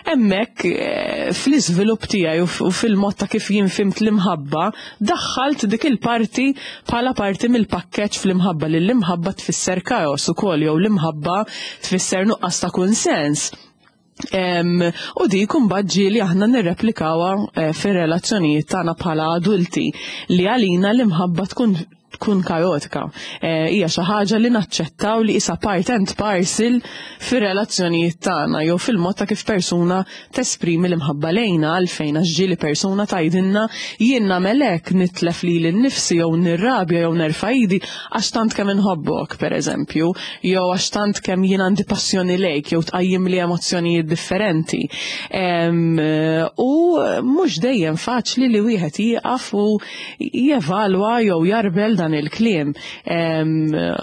hemmhekk eh, fl-iżvilupp tiegħi u fil-mod ta' kif jien fimt l-imħabba, daħħalt dik il-parti bħala parti mill-pakkeġġ fl-imħabba li l-imħabba tfisser kaos ukoll jew l-imħabba tfisser nuqqas ta' kunsens. U dik imbagħad ġieli aħna nirreplikawha eh, fir-relazzjonijiet tagħna bħala adulti li għalina l-imħabba tkun tkun kaotika. Eh, hija xi ħaġa li naċċettaw li isa part and parcel fir-relazzjonijiet tagħna jew fil-mod ta' kif persuna tesprimi l-imħabba lejna għalfejn għax ġieli persuna tgħidilna jien nagħmel hekk nitlef lili nnifsi jew nirrabja jew nerfa' idi għax tant kemm inħobbok pereżempju jew għax tant kemm jien għandi passjoni lejk jew tqajjimli emozzjonijiet differenti. U mhux dejjem faċli li wieħed jieqaf u jevalwa jew jarbel dan il-kliem.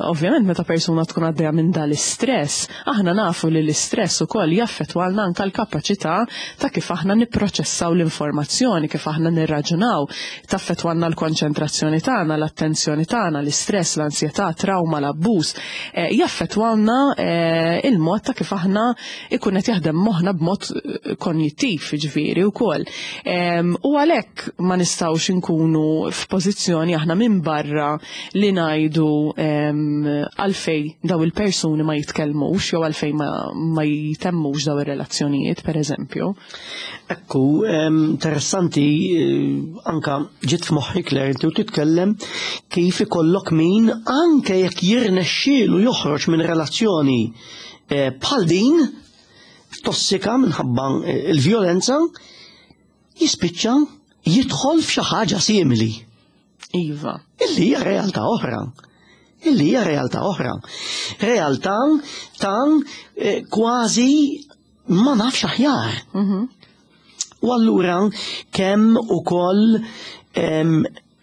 Ovvjament meta persuna tkun għaddejja minn dal-istress, aħna nafu li l-istress ukoll jaffettwalna anke l-kapaċità ta' kif aħna nipproċessaw l-informazzjoni, kif aħna nirraġunaw, taffettwalna l-konċentrazzjoni tagħna, l-attenzjoni tagħna, l-istress, l-ansjetà, trauma, l-abbuż, eh, jaffettwalna eh, il-mod ta' kif aħna ikun qed jaħdem moħħna b'mod eh, konjittiv, jiġifieri wkoll. U għalhekk ma nistgħux inkunu f'pożizzjoni aħna minn barra li ngħidu għalfej daw il-persuni ma jitkellmux jew għalfej ma, ma jitemmux daw ir-relazzjonijiet, pereżempju. Ekku, interessanti eh, anka ġiet f'moħħi Claire inti u titkellem kif ikollok min anke jekk jirnexxielu joħroġ minn relazzjoni eh, bħal din tossika minħabba eh, il-vjolenza jispiċċa jidħol f'xi ħaġa simili. Iva. Illi hija realtà oħra. Illi hija realtà oħra. Realtà ta' eh, kważi ma nafx aħjar. Mhm. U allura kemm ukoll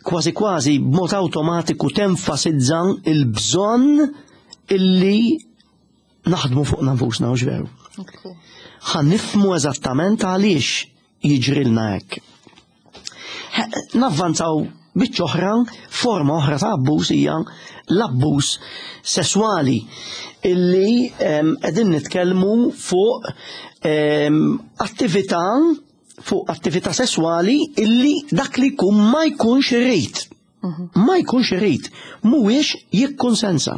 kważi kważi b'mod awtomatiku tenfasizza il-bżonn illi naħdmu fuq nafusna u veru. Ħa nifmu eżattament għaliex jiġrilna hekk. Navvanzaw biċċa oħra, forma oħra ta' abbuż hija l-abbuż sesswali illi qegħdin nitkellmu fuq attività fuq attività sesswali illi dak li jkun ma jkunx irid. Mhm. Ma jkunx irid, mhuwiex jikkonsensa.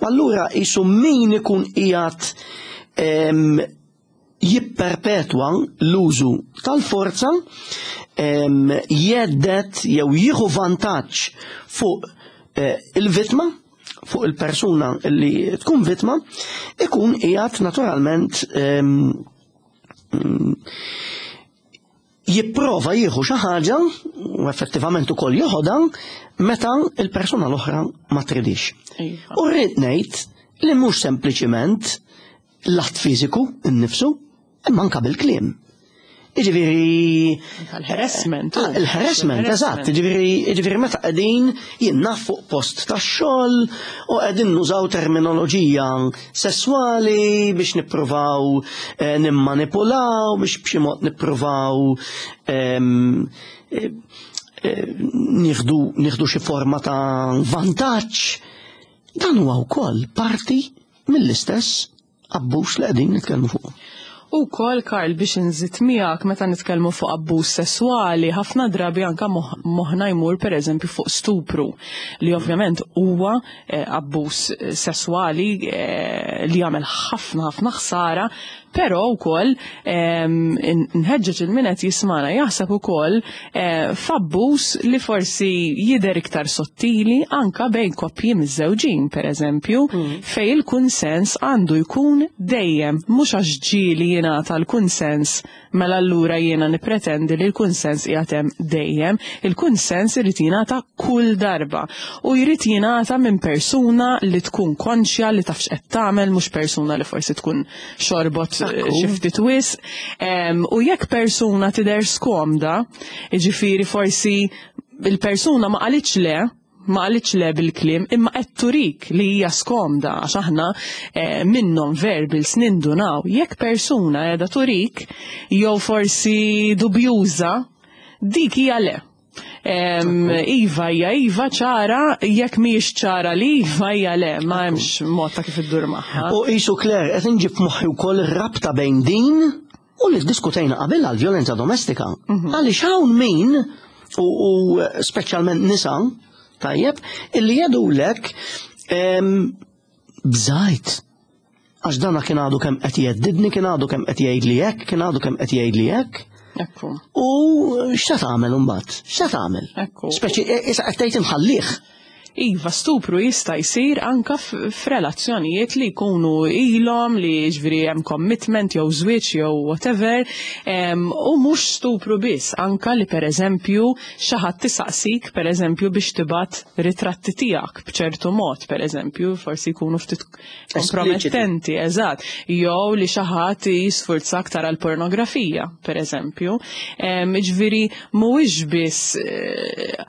U allura jisu min ikun qiegħed jipperpetwa l-użu tal-forza jeddet jew jieħu vantaġġ fuq eh, il-vittma fuq il-persuna li tkun vittma ikun qiegħed naturalment jipprova jieħu xi ħaġa u effettivament ukoll joħodha meta il-persuna l-oħra ma tridix. Iva. U rrid ngħid li mhux sempliċiment l-att fiżiku nnifsu, imma anka bil-kliem. Iġifieri. Il-harassment. Ah, il-harassment, eżatt. Iġifieri meta qegħdin jien naf fuq post tax-xogħol u qegħdin nużaw terminoloġija sesswali biex nippruvaw eh, nimmanipulaw, biex b'xi mod nippruvaw ehm, eh, eh, nieħdu xi forma ta' vantaġġ. Dan huwa wkoll parti mill-istess abbuż li qegħdin nitkellmu fuq. U kol, Karl, biex nżid miegħek meta nitkellmu fuq abbuż sesswali, ħafna drabi anka moħħna jmur pereżempju fuq stupru, li ovvjament huwa eh, abbuż sesswali eh, li jagħmel ħafna ħafna ħsara, però wkoll nħeġġeġ il-min qed jismana jaħseb ukoll eh, f'abbuż li forsi jidher iktar sottili anka bejn koppji miżżewġin pereżempju, mm. fej il-kunsens għandu jkun dejjem mhux għax ġieli jingħata l-kunsens mela allura jiena nippretendi li l-kunsens qiegħed hemm dejjem. Il-kunsens irid jingħata kull darba u jrid jingħata minn persuna li tkun konxja li taf x'qed tagħmel mhux persuna li forsi tkun xorbot eh, xi ftit wisq. U jekk persuna tidher skomda, jiġifieri forsi il-persuna ma qalitx le, ma qalitx le bil-kliem, imma qed turik li hija skomda għax aħna eh, minnhom verbals nindunaw. Jekk persuna qiegħda turik jew forsi dubjuża, dik hija le. Iva hija iva ċara, jekk mhijiex ċara li iva hija le, ma hemmx mod ta' kif iddur magħha. U qisu Claire qed inġib f'moħħi wkoll ir-rabta bejn din u li ddiskutejna qabel għall-vjolenza domestika. Mhm. Għaliex hawn min u speċjalment nisa, tajjeb, illi jgħidulek bżajt. Għax dana kien għadu kemm qed jgħeddidni, kien għadu kemm qed jgħidli hekk, kien għadu kemm qed jgħidli hekk. Ekku. U x'se tagħmel imbagħad? X'se tagħmel? Ekku. Speċi e, issa qed tgħid inħallih. Iva, stupru jista' jsir anka f'relazzjonijiet li jkunu ilhom li ġifieri hemm commitment jew żwieġ jew whatever, u mhux stupru biss, anka li pereżempju xi ħadd isaqsik pereżempju biex tibgħat ritratti tiegħek b'ċertu mod, pereżempju, forsi jkunu ftit kompromettenti, eżatt, jew li xi ħadd jisfurzak tara l-pornografija, pereżempju. Ġifieri mhuwiex biss eh,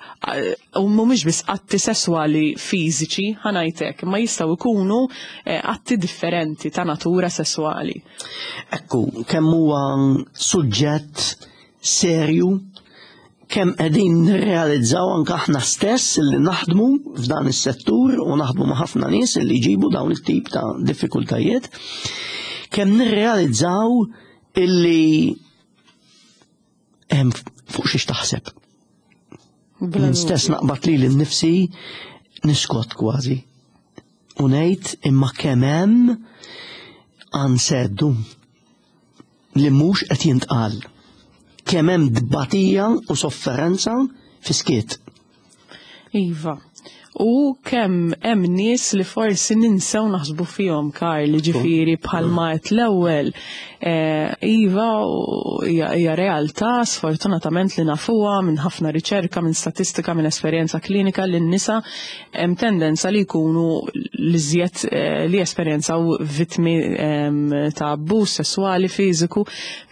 u mhumiex biss atti sesswali fiżiċi, ħa ngħid ma jistgħu jkunu eh, atti differenti ta' natura sesswali. Ekku, kemm huwa suġġett serju kemm qegħdin nirrealizzaw anke aħna stess li naħdmu f'dan is-settur u naħdmu ma' ħafna nies li jġibu dawn it-tip ta' diffikultajiet, kemm nirrealizzaw illi hemm fuq xiex taħseb. Jien stess naqbad li l-nifsi niskot kważi. U ngħid imma kemm hemm anseddu li mhux qed jintqal. Kemm hemm dbatija u sofferenza fi skiet. Iva. U kemm hemm nies li forsi ninsew naħsbu fihom Karl, ġifieri bħalma qed l-ewwel. Eh, iva hija realtà sfortunatament li nafuha minn ħafna riċerka, minn statistika, minn esperjenza klinika li n-nisa hemm tendenza li jkunu l-iżjed eh, li esperjenzaw vittmi ehm, ta' abbuż sesswali fiżiku,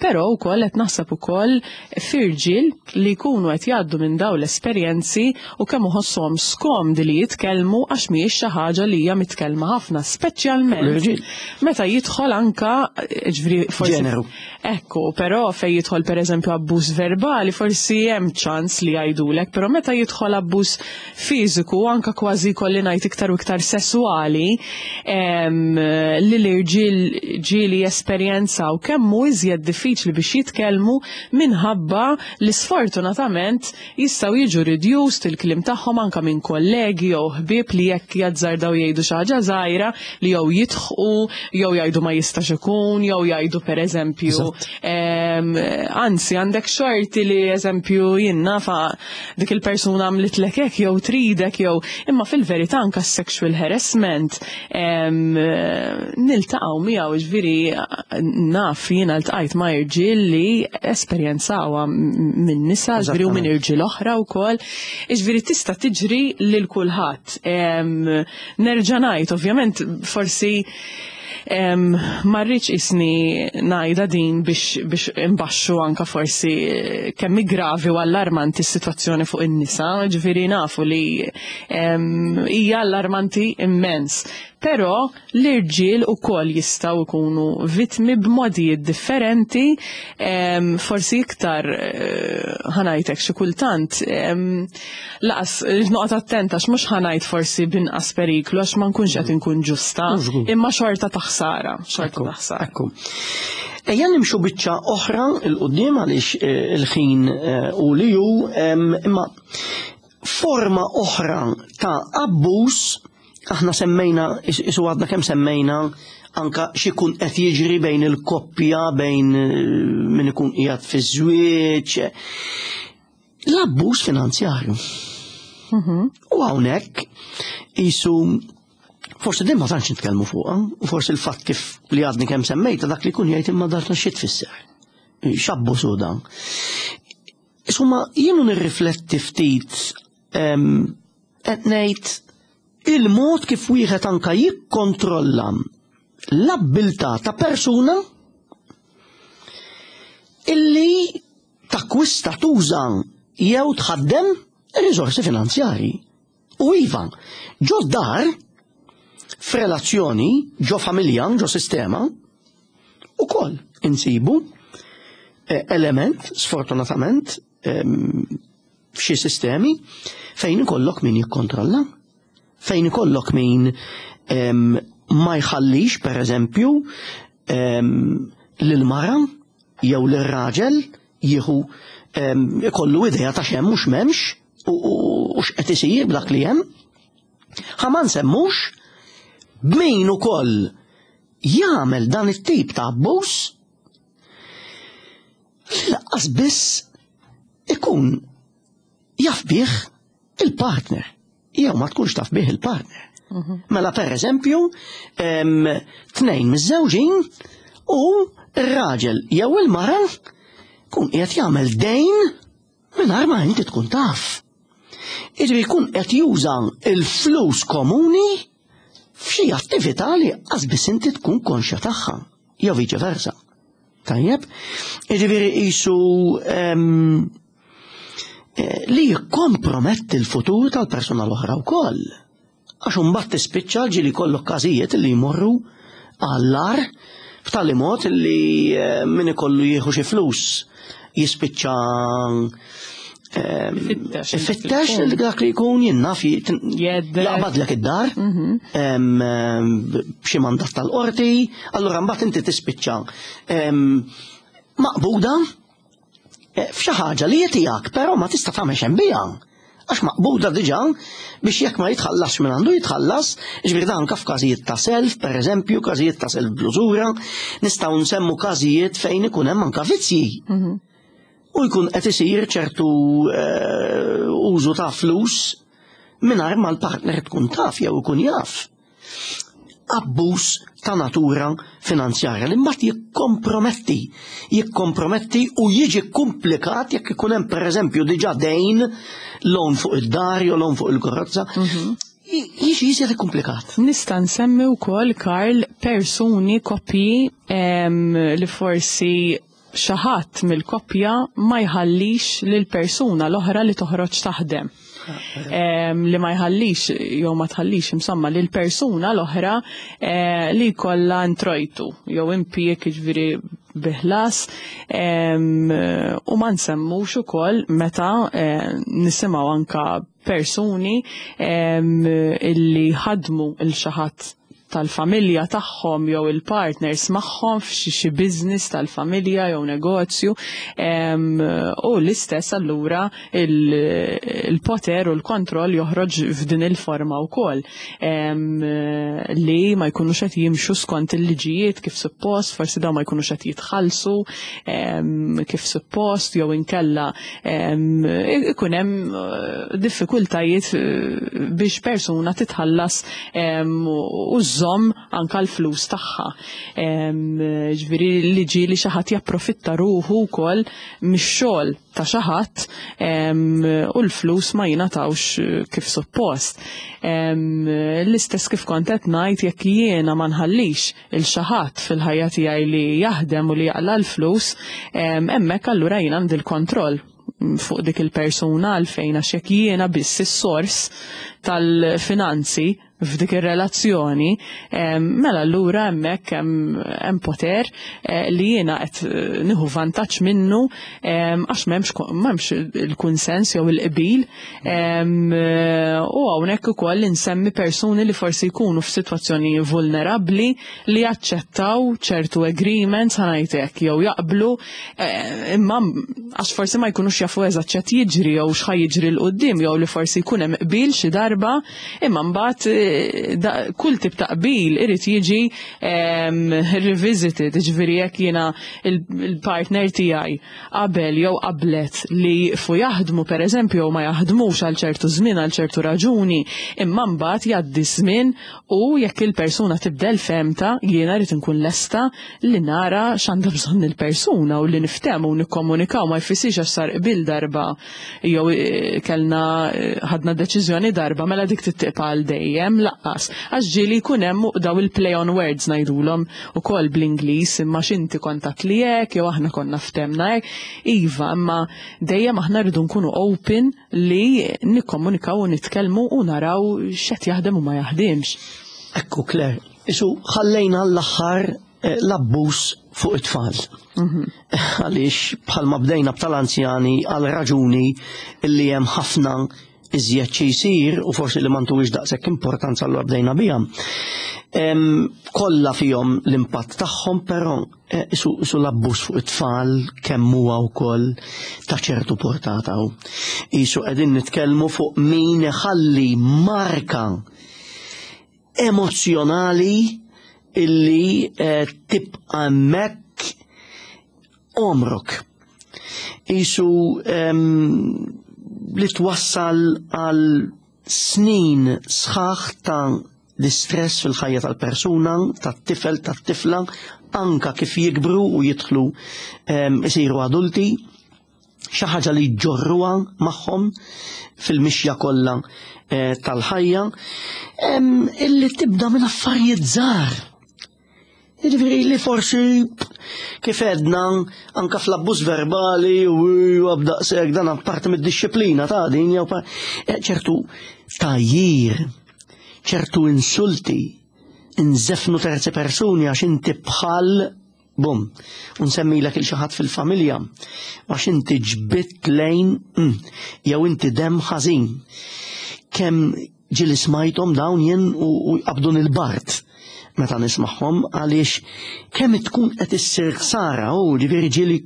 però wkoll qed naħseb ukoll f'irġiel li jkunu qed jgħaddu minn dawn l-esperjenzi u kemm iħossuhom skomdi li jitkellmu għax mhijiex xi ħaġa li hija mitkellma ħafna, speċjalment meta jidħol anka ġifieri forsi Ġeneru. Ekku, però fejn jidħol pereżempju abbuż verbali forsi hemm ċans li jgħidulek, però meta jidħol abbuż fiżiku anka kważi jkolli ngħid iktar u iktar sesswali li l-irġiel ġieli jesperjenzaw kemm hu iżjed diffiċli biex jitkellmu minħabba li sfortunatament jistgħu jiġu reduced il-kliem tagħhom anka minn kollegi jew ħbieb li jekk jazzardaw jgħidu xi ħaġa żgħira li jew jidħqu jew jgħidu ma jistax ikun jew jgħidu pereżempju anzi għandek xorti li eżempju jien nafa dik il-persuna għamlitlek hekk jew tridek jew imma fil-verità anka sexual harassment niltaqgħu miegħu ġifieri naf jiena ltqajt ma' irġiel li esperjenzawha minn nisa ġifieri u minn irġiel oħra wkoll. Ġifieri tista' tiġri lil kulħadd. Nerġa' ngħid ovvjament forsi Ma rridx isni ngħidha din biex biex imbaxxu anka forsi eh, kemm gravi u allarmanti s-sitwazzjoni fuq in-nisa, ġifieri nafu li hija allarmanti immens. Però l-irġiel ukoll jistgħu jkunu vittmi b'modijiet differenti, forsi iktar eh, ħanajtek xi kultant Laqas, noqgħod attent għax mhux ħanajt forsi b'inqas periklu għax ma nkunx qed inkun ġusta, imma xorta ta' ħsara, xorta ta' ħsara. Ekku. Ejja nimxu biċċa oħra il qudiem għaliex eh, il-ħin eh, u li hu imma forma oħra ta' abbuż aħna semmejna isu għadna kemm semmejna anka xikun qed jiġri bejn il-koppja bejn eh, min ikun qiegħed fiż-żwieġ. L-abbuż finanzjarju. Mhm. U hawnhekk isu forsi din ma tantx nitkellmu fuqha, u forsi l-fatt kif li għadni kemm semmejta dak li kun jgħid imma dak xi tfisser. X'abbuż hu dan. Insomma, jienu nirrifletti ftit qed ngħid il-mod kif wieħed anka jikkontrolla l-abbiltà ta' persuna illi takkwista, tuża jew tħaddem riżorsi finanzjarji. U iva, ġo dar, f'relazzjoni, ġo familja, ġo sistema, ukoll insibu eh, element, sfortunatament, ehm, f'xi sistemi fejn ikollok min jikkontrolla, fejn ikollok min ehm, ma jħallix, per eżempju, ehm, lil-mara jew lir-raġel jieħu ikollu idea ta' x'hemm u x'm'hemmx u x'qed isir b'dak li hemm. Ħa ma nsemmux b'min ukoll jagħmel dan it-tip ta' abbuż li laqqas biss ikun jaf bih il-partner. jew ma tkunx taf bih il-partner. Mela per eżempju, tnejn miż-żewġin u r-raġel jew il-mara kun qiegħed jagħmel dejn mingħajr ma inti tkun taf. Jiġifieri jkun qed juża l-flus komuni f'xi attività li qas biss inti tkun konxja tagħha, jew viċe versa. Tajjeb? Jiġifieri qisu li jikkomprometti l-futur tal-persuna l-oħra wkoll. Għax imbagħad tispiċċa ġieli jkollok każijiet li jmorru għall-agħar b'tali mod li min ikollu jieħu xi flus jispiċċa ifittex li dak li jkun jinnaf jaqbadlek id-dar b'xi mandat tal-qorti, allura mbagħad inti tispiċċa maqbuda f'xi ħaġa li tiegħek, però ma tista' tagħmel xejn biha. Għax maqbuda diġà biex jekk ma jitħallasx minn għandu jitħallas, ġifieri dan anke f'każijiet ta' self, pereżempju, każijiet ta' self bl-użura, nistgħu nsemmu każijiet fejn ikun hemm anke vizzji. U jkun qed isir ċertu użu ta' flus mingħajr ma l-partner tkun taf jew ikun jaf. Abbuż ta' natura finanzjarja li mbagħad jikkomprometti u jiġi komplikat jekk ikun hemm pereżempju diġà dejn loan fuq id-dar jew loan fuq il-karozza. Jiġi jiġi komplikat. Nista' nsemmi wkoll, Karl, persuni, koppji li forsi xi ħadd mill-koppja ma jħallix lil persuna l-oħra li toħroġ taħdem. Li ma jħallix jew ma tħallix insomma lil persuna l-oħra li jkollha introjtu jew impjieg, jiġifieri biħlas, u ma nsemmux ukoll meta nisimgħu anka persuni illi ħadmu il xi ħadd tal-familja tagħhom jew il-partners magħhom f'xi xi business tal-familja jew negozju, u l-istess allura il-poter u l-kontroll joħroġ f'din il-forma wkoll, li ma jkunux qed jimxu skont il-liġijiet kif suppost, forsi dawn ma jkunux qed jitħallsu kif suppost, jew inkella ikun hemm diffikultajiet biex persuna titħallas u żżomm anka l-flus tagħha. Ġifieri li ġieli xi ħadd japprofitta ruħu wkoll mix-xogħol ta' xi ħadd u l-flus ma jingħatawx kif suppost. L-istess kif kont qed ngħid, jekk jiena ma nħallix il xi ħadd fil-ħajja tiegħi li jaħdem u li jaqla l-flus, hemmhekk allura jien għandi l-kontroll fuq dik il-persuna, għalfejn għax jekk jiena biss is-sors tal-finanzi f'dik ir-relazzjoni, mela allura hemmhekk hemm poter li jiena qed nieħu vantaġġ minnu, għax m'hemmx il-kunsens jew il-qbil. U hawnhekk ukoll insemmi persuni li forsi jkunu f'sitwazzjoni vulnerabbli li jaċċettaw ċertu agreements, ħa ngħidlek, jew jaqblu, imma għax forsi ma jkunux jafu eżatt x'qed jiġri jew x'ħa jiġri 'l quddiem, jew li forsi jkun hemm qbil xi darba, imma mbagħad kull tip ta' qbil irid jiġi revisited, ġifieri jekk jiena il-partner tiegħi qabel jew qablet li fu jaħdmu pereżempju jew ma jaħdmux għal ċertu żmien għal ċertu raġuni, imma mbagħad jgħaddi żmien u jekk il-persuna tibdel femta, jiena rrid inkun lesta li nara x'għandha bżonn il-persuna u li niftehmu u nikkomunikaw. Ma jfissirx għax sar qbil darba jew kellna ħadna deċiżjoni darba mela dik tittiqpa għal dejjem, laqqas. Għax ġieli jkun hemm daw il-play on words ngħidulhom ukoll bl-Ingliż, imma x'inti kont għedt li hekk jew aħna konna ftemna hekk. Iva, imma dejjem aħna rridu nkunu open li nikkomunikaw u nitkellmu u naraw x'qed jaħdem u ma jaħdimx. Ekku, Claire, isu ħallejna l-aħħar l-abbuż fuq it-tfal. Għaliex bħalma bdejna b'tal-anzjani għal raġuni li hemm ħafna iżjed xi jsir u forsi li m'għandux daqshekk importanza allura bdejna biha. Kollha fihom l-impatt tagħhom, però isu l-abbuż fuq it-tfal kemm huwa wkoll ta' ċertu portata. Isu qegħdin nitkellmu fuq min iħalli marka emozjonali illi tibqa' hemmhekk għomrok. Isu li twassal għal snin sħaħ ta' l-istress fil-ħajja tal-persuna, tat-tifel, tat-tifla, anka kif jikbru u jidħlu isiru adulti, xi ħaġa li jġorruha magħhom fil-mixja kollha eh, tal-ħajja, illi tibda minn affarijiet żgħar. Jiġifieri li forsi kif edna anka fl-abbuż verbali u għabdaqsek dan parti mid-disciplina ta' din jew eh, ċertu tajjir, ċertu insulti, nżefnu terzi persuni għax inti bħal bum, u nsemmilek il xi ħadd fil-familja għax inti ġbitt lejn mm, jew inti dem ħażin. Kemm ġieli smajthom dawn jien u jqabdun il-bart meta nismagħhom għaliex kemm tkun qed issir ħsara u ġifieri ġieli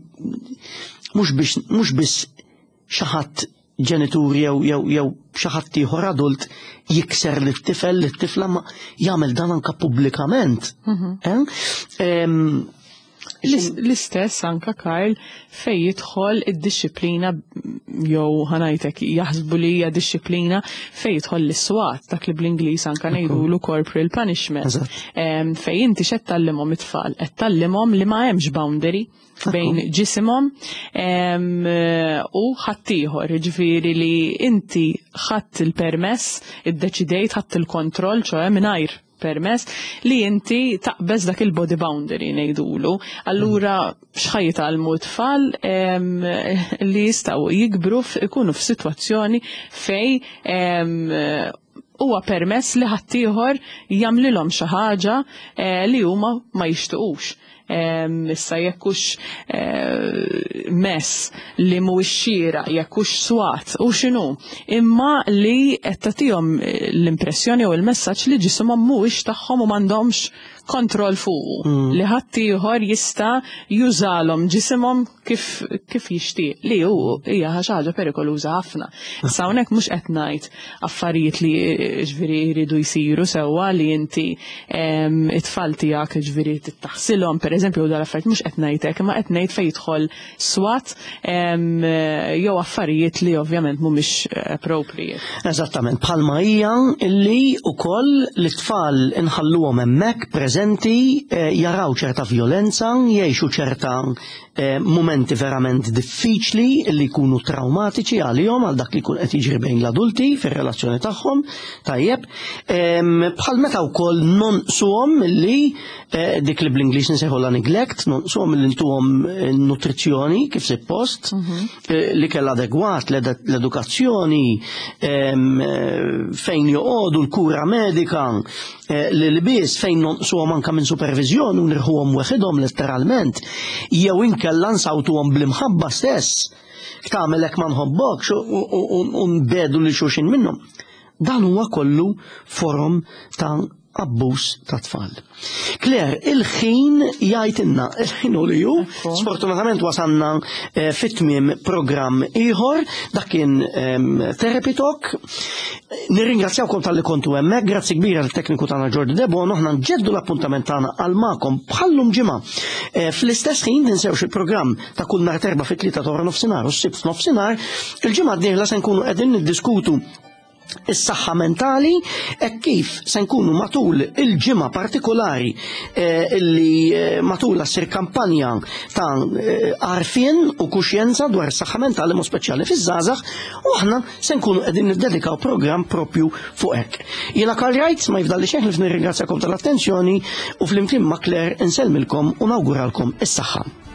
mhux biss xi ħadd ġenitur jew jew jew xi ħadd ieħor adult jikser lit-tifel lit-tifla ma jagħmel dan anka pubblikament. Mhm. Eh? L-istess anka Karl fej jidħol id-disciplina jew ħanajtek jaħsbu li hija disciplina fej jidħol l-iswat dak li bl-Ingliż anka ngħidulu corporal punishment. Fej inti x'qed tallimhom it-tfal, qed tallimhom li ma hemmx boundary bejn ġisimhom u ħaddieħor, ġifieri li inti ħadd il-permess, iddeċidejt ħadd il-kontroll, ċoe mingħajr permess li inti taqbeż dak il-body boundary ngħidulu. Allura x'ħa jitgħallmu t-tfal li jistgħu jikbru ikunu f'sitwazzjoni fej huwa permess li ħaddieħor jagħmlilhom xi ħaġa eh, li huma ma jixtiequx. Issa jekkux eh, mess li mhuwiex xieraq, jekkux swat u x'inhu, imma li qed tagħtihom eh, l-impressjoni u l-messaġġ li ġisimhom mhuwiex tagħhom u m'għandhomx kontroll fuqu mm. li ħaddieħor jista' jużalhom ġisimhom kif, kif jixtieq li hu hija xi ħaġa perikoluża ħafna. Issa hawnhekk mhux qed ngħid affarijiet li ġifieri jridu jsiru sewwa li inti it-tfal tiegħek ġifieri tittaħsilhom pereżempju u dal-affarijiet mhux qed ngħid hekk, imma qed ngħid fejn jidħol swat jew affarijiet li ovvjament mhumiex appropriate. Eżattament, bħalma hija li wkoll l-tfal inħalluhom hemmhekk preżenti eh, jaraw ċerta vjolenza, jgħixu ċerta Eh, mumenti verament diffiċli li jkunu traumatiċi għalihom għal dak li jkun qed jiġri bejn l-adulti fir-relazzjoni tagħhom, tajjeb, bħal meta wkoll nonqsuhom li eh, dik li bl-Ingliż nsejħulha neglect, nonqsuhom li ntuhom eh, nutrizzjoni kif suppost, mhm. li kell adegwat l-edukazzjoni fejn joqogħdu l-kura medika, Eh, l-ilbies fejn nonqsuhom anka minn supervizjoni u nirħuhom weħidhom letteralment, jew inkella nsawtuhom bl-imħabba stess. Tagħmel hekk ma nħobbokx u nbedu li xulxin minnhom. Dan huwa kollu forom ta' abbuż ta' tfal. Claire, il-ħin jgħidilna, il-ħin u li ju, sfortunatament wasanna eh, fit-tmiem programm ieħor, dak kien ehm, Therapy Talk. Nirringrazzjawkom talli kontu hemmhekk, grazzi kbira lit-tekniku tagħna Jordi Debono, aħna nġeddu l-appuntament tagħna għal magħkom bħallum ġimgħa. Eh, fl-istess ħin tinsewx il-programm ta' kull nhar terba' fit-tlieta ta' nofsinhar u s-sibt f'nofsinhar, il-ġimgħa d-dieħla se nkunu qegħdin niddiskutu is-saħħa mentali hekk kif se nkunu matul il-ġimgħa partikolari eh, illi eh, matul ssir kampanja ta' għarfien u kuxjenza dwar is-saħħa mentali mod speċjali fiż-żgħażagħ u aħna se nkunu qegħdin niddedikaw programm propju fuq hekk. Jiena Karl Wright ma jifdalli xejn ħlief nirringrazzjakom tal-attenzjoni u flimkien ma' Claire insellmilkom u nawguralkom is-saħħa.